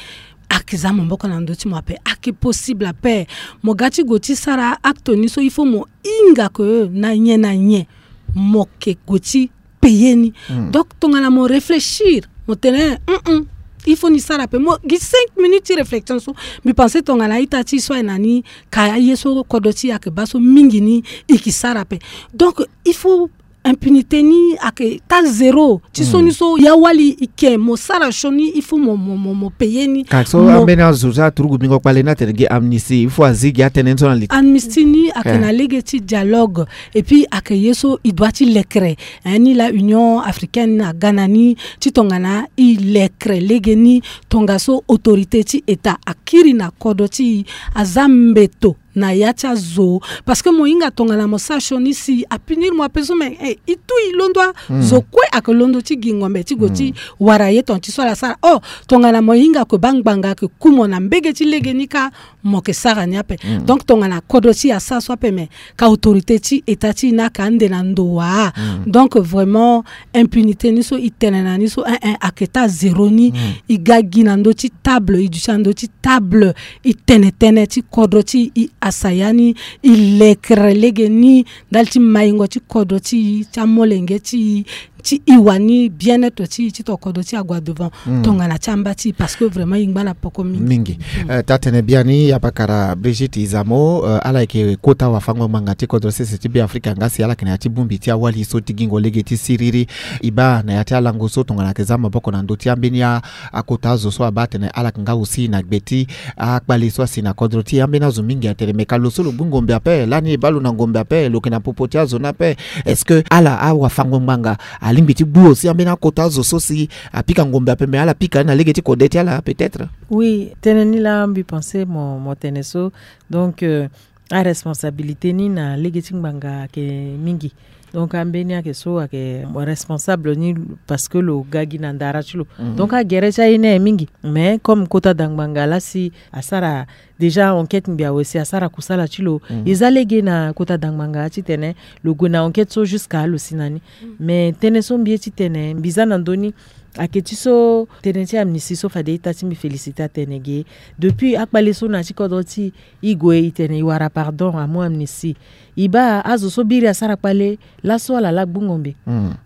ayeke za maboko na ndö ti mo ape. Ayeke possible ape. Mo ga ti gue ti sara acte ni so, il faut mo hinga ke na nyen na nyen mo yeke gue ti payer ni. Donc tongana mo réfléchir, mo tene, mm, mm, il faut ni sara ape. Mo gi cinq minutes ti réflexion so, mbi pense tongana a-ita ti e so aye na ni, ka aye so kodro ti e ayeke baa so mingi ni, e yeke sara ape. Donc il faut impunité ni ayeke taa zéro. Ti sioni so ya wali e yeke mo sara sioni, il faut mo, mo, mo, mo payer ni. Ka so ambeni azo so aturugu bingo kpale ni atene gi amnistie, il faut azi gi atënë ni so na li ti amnistie ni ayeke na lege ti dialogue. Et puis ayeke ye so e doit ti lekere. Eh, ni laa Union africaine aga na ni ti tongana e lekere lege ni, tongaso autorité ti État akiri na kodro ti e, aza mbeto na ya ti azo. Parce que mo hinga tongana mo sara sioni si apunir mo ape so, mais, eh, e tu e londo a. Zo kue ayeke londo ti gi ngombe ti gue ti wara ye tongana ti so ala sara. Oh, tongana mo hinga ke bangbanga ayeke ku mo na mbege ti lege ni kâ, mo yeke sara ni ape. Donc tongana kodro ti e asara so ape, mais ka autorité ti État ti e ni ayeke ande na ndo wa. Donc vraiment impunité ni so e tene na ni so, eh, eh, ayeke taa zéro ni. E ga gi na ndö ti table, e duti na ndö ti table, e tene tënë ti kodro ti e, e asaya ni, e lekere lege ni ndali ti maingo ti kodro ti e, ti amolenge ti e, ti e wani bien-être ti e, ti tongana kodro ti e ague devant. Tongana ti amba ti e, parce que vraiment e ngba na poko mingi. Mingi. Eh, taa-tënë biani, ya pakara Brigitte Izamo, eh, ala yeke kota wafango-ngbanga ti kodro sese ti Be Afrika nga si ala yeke na ya ti bongbi ti awali so ti gingo lege ti siriri. E baa na ya ti alango so tongana ayeke za maboko na ndö ti ambeni a, akota azo so abaa atene ala yeke nga aussi na gbe ti akpale so asi na kodro ti e. Ambeni azo mingi atene, me ka lo so lo gbu ngombe ape, lani e baa lo na ngombe ape, lo yeke na popo ti azo ni ape. Est-ce que ala awafango-ngbanga alingbi ti gbu aussi ambeni akota azo so si apika ngombe ape, me ala pika ni na lege ti kode ti ala peut-être? Oui, tënë ni laa mbi pense mo, mo tene so. Donc, euh, aresponsabilité ni na lege ti ngbanga ayeke mingi. Donc ambeni ayeke so ayeke responsable ni parce que lo ga gi na ndara ti lo. Donc agere ti aye ni aye mingi. Mais comme kota da ngbanga laa si asara déjà enquête ngbi awe si asara kusala ti lo. E za lege na kota da ngbanga titene lo gue na enquête so jusqu'à lo si na ni. Mais tënë so mbi ye titene mbi za na ndö ni ayeke ti so tënë ti amnistie so fade ita ti mbi félicité atene ge. Depuis akpale so na ya ti kodro ti e, e gue e tene e wara pardon, amu amnistie. E baa azo so biri asara kpale laso ala laa gbu ngombe.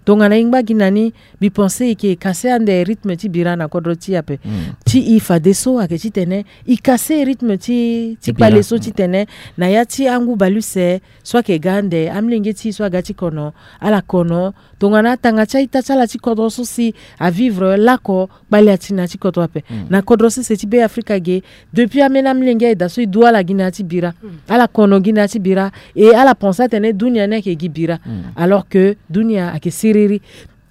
Tongana e ngba gi na ni, mbi pense e yeke kase ande rythme ti bira na kodro ti e ape. Ti e fadeso ayeke titene e kase rythme ti, ti kpale so titene na ya ti angu baleuse so ayeke ga ande, amolenge ti e so aga ti kono, ala kono. Tongana atanga ti a-ita ti ala ti kodro so si avivre lako, kpale ati na ya ti kodro ape. Na kodro sese ti Be Afrika ge, depuis ambeni amolenge aye daa so e du ala gi na ya ti bira. Ala kono gi na ya ti bira. E ala pense atene dunia ni ayeke gi bira. Alors que dunia ayeke siriri.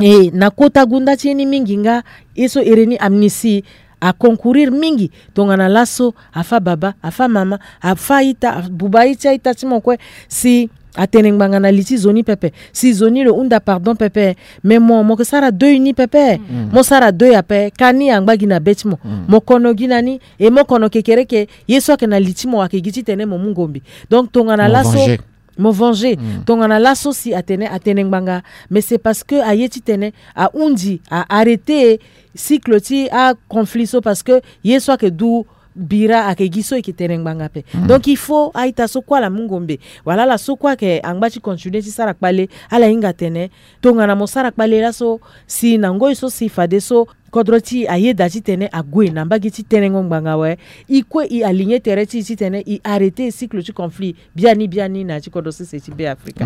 E na kota gunda ti ye ni mingi nga, ye so ere ni Amnesty a concourir mingi tongana laso afa baba, afa mama, afa a-ita, abuba aye ti a-ita ti mo kue, si atene ngbanga na li ti zo ni pepe, si zo ni lo hunda pardon pepe. Me mo, mo ke sara deuil ni pepe. Mo sara deuil ape, ka ni angba gi na be ti mo. Mo kono gi na ni, e mo kono kekereke, ye so ayeke na li ti mo ayeke gi titene mo mu ngombe. Donc tongana laso mo venger. Tongana laso si atene, atene ngbanga, mais c'est parce que aye titene ahundi, a arrêter cycle ti aconflit so, parce que ye so ayeke du bira ayeke gi so e yeke tene ngbanga ape. Donc il faut a-ita so kue ala mu ngombe, wala ala so kue ayeke angba ti continuer ti sara kpale, ala hinga tene tongana mo sara kpale laso, si na ngoi so si fadeso kodro ti e ayeda titene ague na mbage ti tenengo ngbanga awe, e kue e aligner tere ti e titene e arrêter cycle ti conflit biani biani na ya ti kodro sese ti Be Afrika.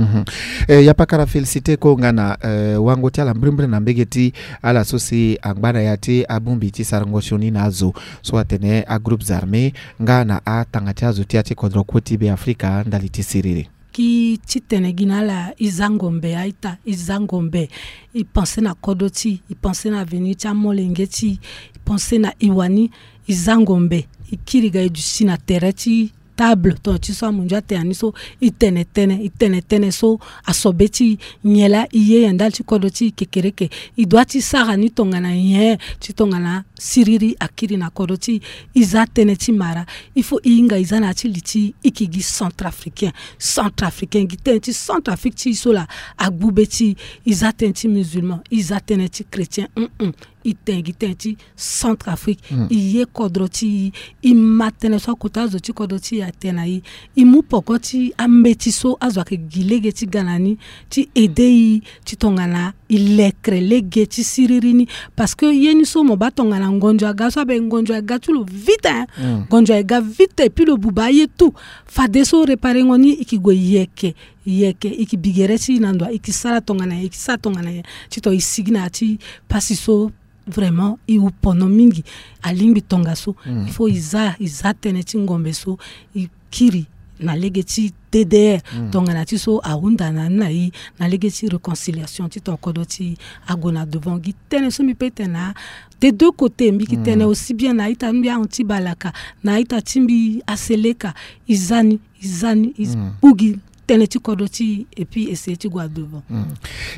Eh, ya pakara féliciter ko nga na, eh, wango ti ala mbrimbri na mbege ti ala so si angba na ya ti abongbi ti sarango sioni na azo so atene agroupes armés nga na atanga ti azo ti ya ti kodro kue ti Be Afrika ndali ti siriri. Ki titene gi na ala, e za ngombe a-ita, e za ngombe, e pense na kodro ti e, e pense na avenir ti amolenge ti e, e pense na e wani, e za ngombe, e kiri ga e duti na tere ti table, tongana ti so amunzu atene ni so, e tene tënë, e tene tënë so asobe ti e, nyen laa e ye ya ndali ti kodro ti e kekereke, e dua ti sara ni tongana nyen, ti tongana siriri akiri na kodro ti e. E za tënë ti mara, il faut e hinga e za na ya ti li ti e, e yeke gi centrafricain. Centrafricain, gi tënë ti Centrafrique ti e so laa agbu be ti e. E za tënë ti musulman, e za tënë ti chrétien, hum hum. E tene gi tënë ti Centrafrique. E ye kodro ti e, e ma tënë so akota azo ti kodro ti e atene na e. E mu poko ti ambeti so azo ayeke gi lege ti ga na ni ti aider e, ti tongana e lekre lege ti siriri ni. Parce que ye ni so mo baa tongana ngonzo aga so abe, ngonzo aga ti lo vite, hein. Ngonzo aga vite, et puis lo buba aye tout. Fadeso reparengo ni, e yeke gue yeke, yeke, e yeke bi gere ti e na ndo, e yeke sara tongana nyen, e yeke sara tongana nyen, ti tongana e sigi na ya ti pasi so vraiment e wu pono mingi. Alingbi tongaso. Il faut e za, e za tënë ti ngombe so, e kiri na lege ti D D R. Tongana ti so ahunda na ni na e na lege ti réconciliation, ti tongana kodro ti e ague na devant. Gi tënë so mbi pe tene na des deux côtés, mbi yeke tene aussi bien na a-ita ti mbi aHanti Balaka, na a-ita ti mbi aSeleka, e za ni, e za ni, e kpu gi tënë ti kodro ti e, et puis essayer ti gue na devant.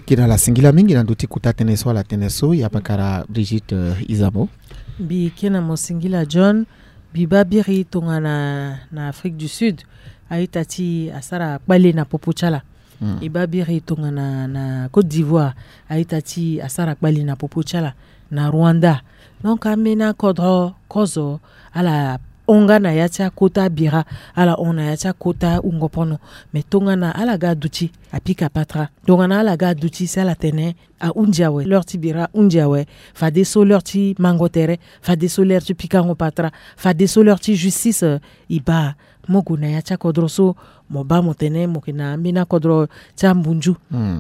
Kena ala singila mingi na ndö ti kota tënë so ala tene so, ya pakara Brigitte, euh, Izamo. Mbi kena mo singila John. Mbi baa biri tongana na Afrique du Sud, a-ita ti e asara kpale na popo ti ala. E baa biri tongana na Côte d'Ivoire, a-ita ti e asara kpale na popo ti ala, na Rwanda. Donc ambeni akodro kozo ala hon nga na ya ti akota bira, ala hon na ya ti akota wungo pono. Me tongana ala ga duti, apika patara. Tongana ala ga duti, si ala tene ahundi awe, l'heure ti bira ahundi awe, fadeso l'heure ti mango tere, fadeso l'heure ti pikango patara, fadeso l'heure ti justice, euh, e baa. Mo gue na ya ti akodro so, mo baa mo tene mo yeke na ambeni akodro ti ambunzu,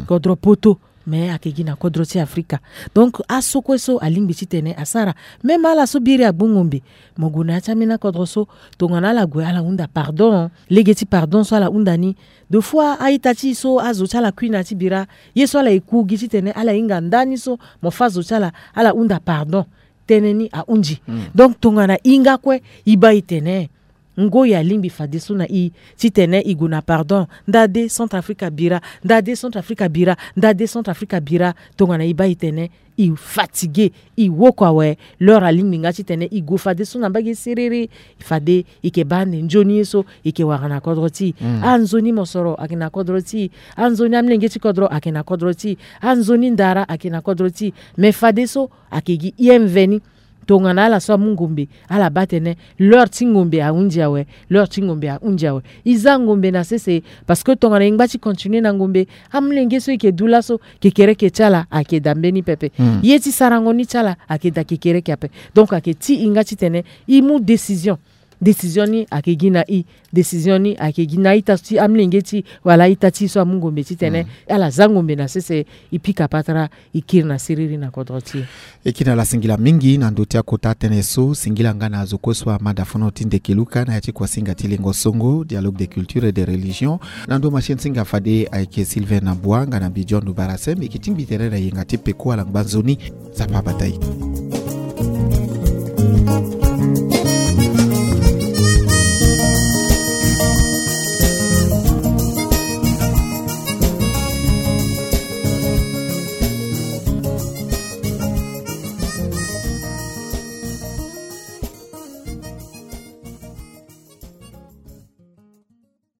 kodro poto, me ayeke gi na kodro ti Afrika. Donc aso kue so alingbi titene asara. Même ala so biri agbu ngombe, mo gue na ya ti ambeni akodro so, tongana ala gue ala hunda pardon. Lege ti pardon so ala hunda ni, de fois a-ita ti e so azo ti ala kui na ya ti bira, ye so ala eku gi titene ala hinga ndani so mo fâ zo ti ala, ala hunda pardon. Tënë ni ahundi. Donc tongana e nga kue, e baa e tene ngoi alingbi fadeso na e titene e gue na pardon. Nda de Centrafrique abira, nda de Centrafrique abira, nda de Centrafrique abira. Tongana e baa e tene e fatigué, e woko awe, l'heure alingbi nga titene e gue fadeso na mbage siriri. Fade e yeke baa ande nzoni ye so e yeke wara na kodro ti e. Anzoni mosoro ayeke na kodro ti e. Anzoni amolenge ti kodro ayeke na kodro ti e. Anzoni ndara ayeke na kodro ti e. Me fadeso ayeke gi E M V ni. Tongana ala so amu ngombe, ala baa tene l'heure ti ngombe ahundi awe, l'heure ti ngombe ahundi awe. E za ngombe na sese, parce que tongana e ngba ti continuer na ngombe, amolenge so e yeke du laso, kekereke ti ala ayeke daa mbeni pepe. Ye ti sarango ni ti ala ayeke daa kekereke ape. Donc ayeke ti e nga titene e mu décision. Décision ni ayeke gi na i. Décision ni ayeke gi na a-ita so ti amolenge ti e wala a-ita ti e so amu ngombe titene ala za ngombe na sese. E pika patara, e kiri na siriri na kodro ti e. E kiri na ala singila mingi na ndö ti akota tënë so. Singila nga na azo kue so amada fono ti Ndekeluka na ya ti kuasinga ti lingo songo, dialogue des cultures et des religions. Na ndö machine singa fade ayeke Sylvain Nabua nga na mbi John Barasem. E yeke tingbi tere na yenga ti peko ala ngba nzoni. Nzapa abata e.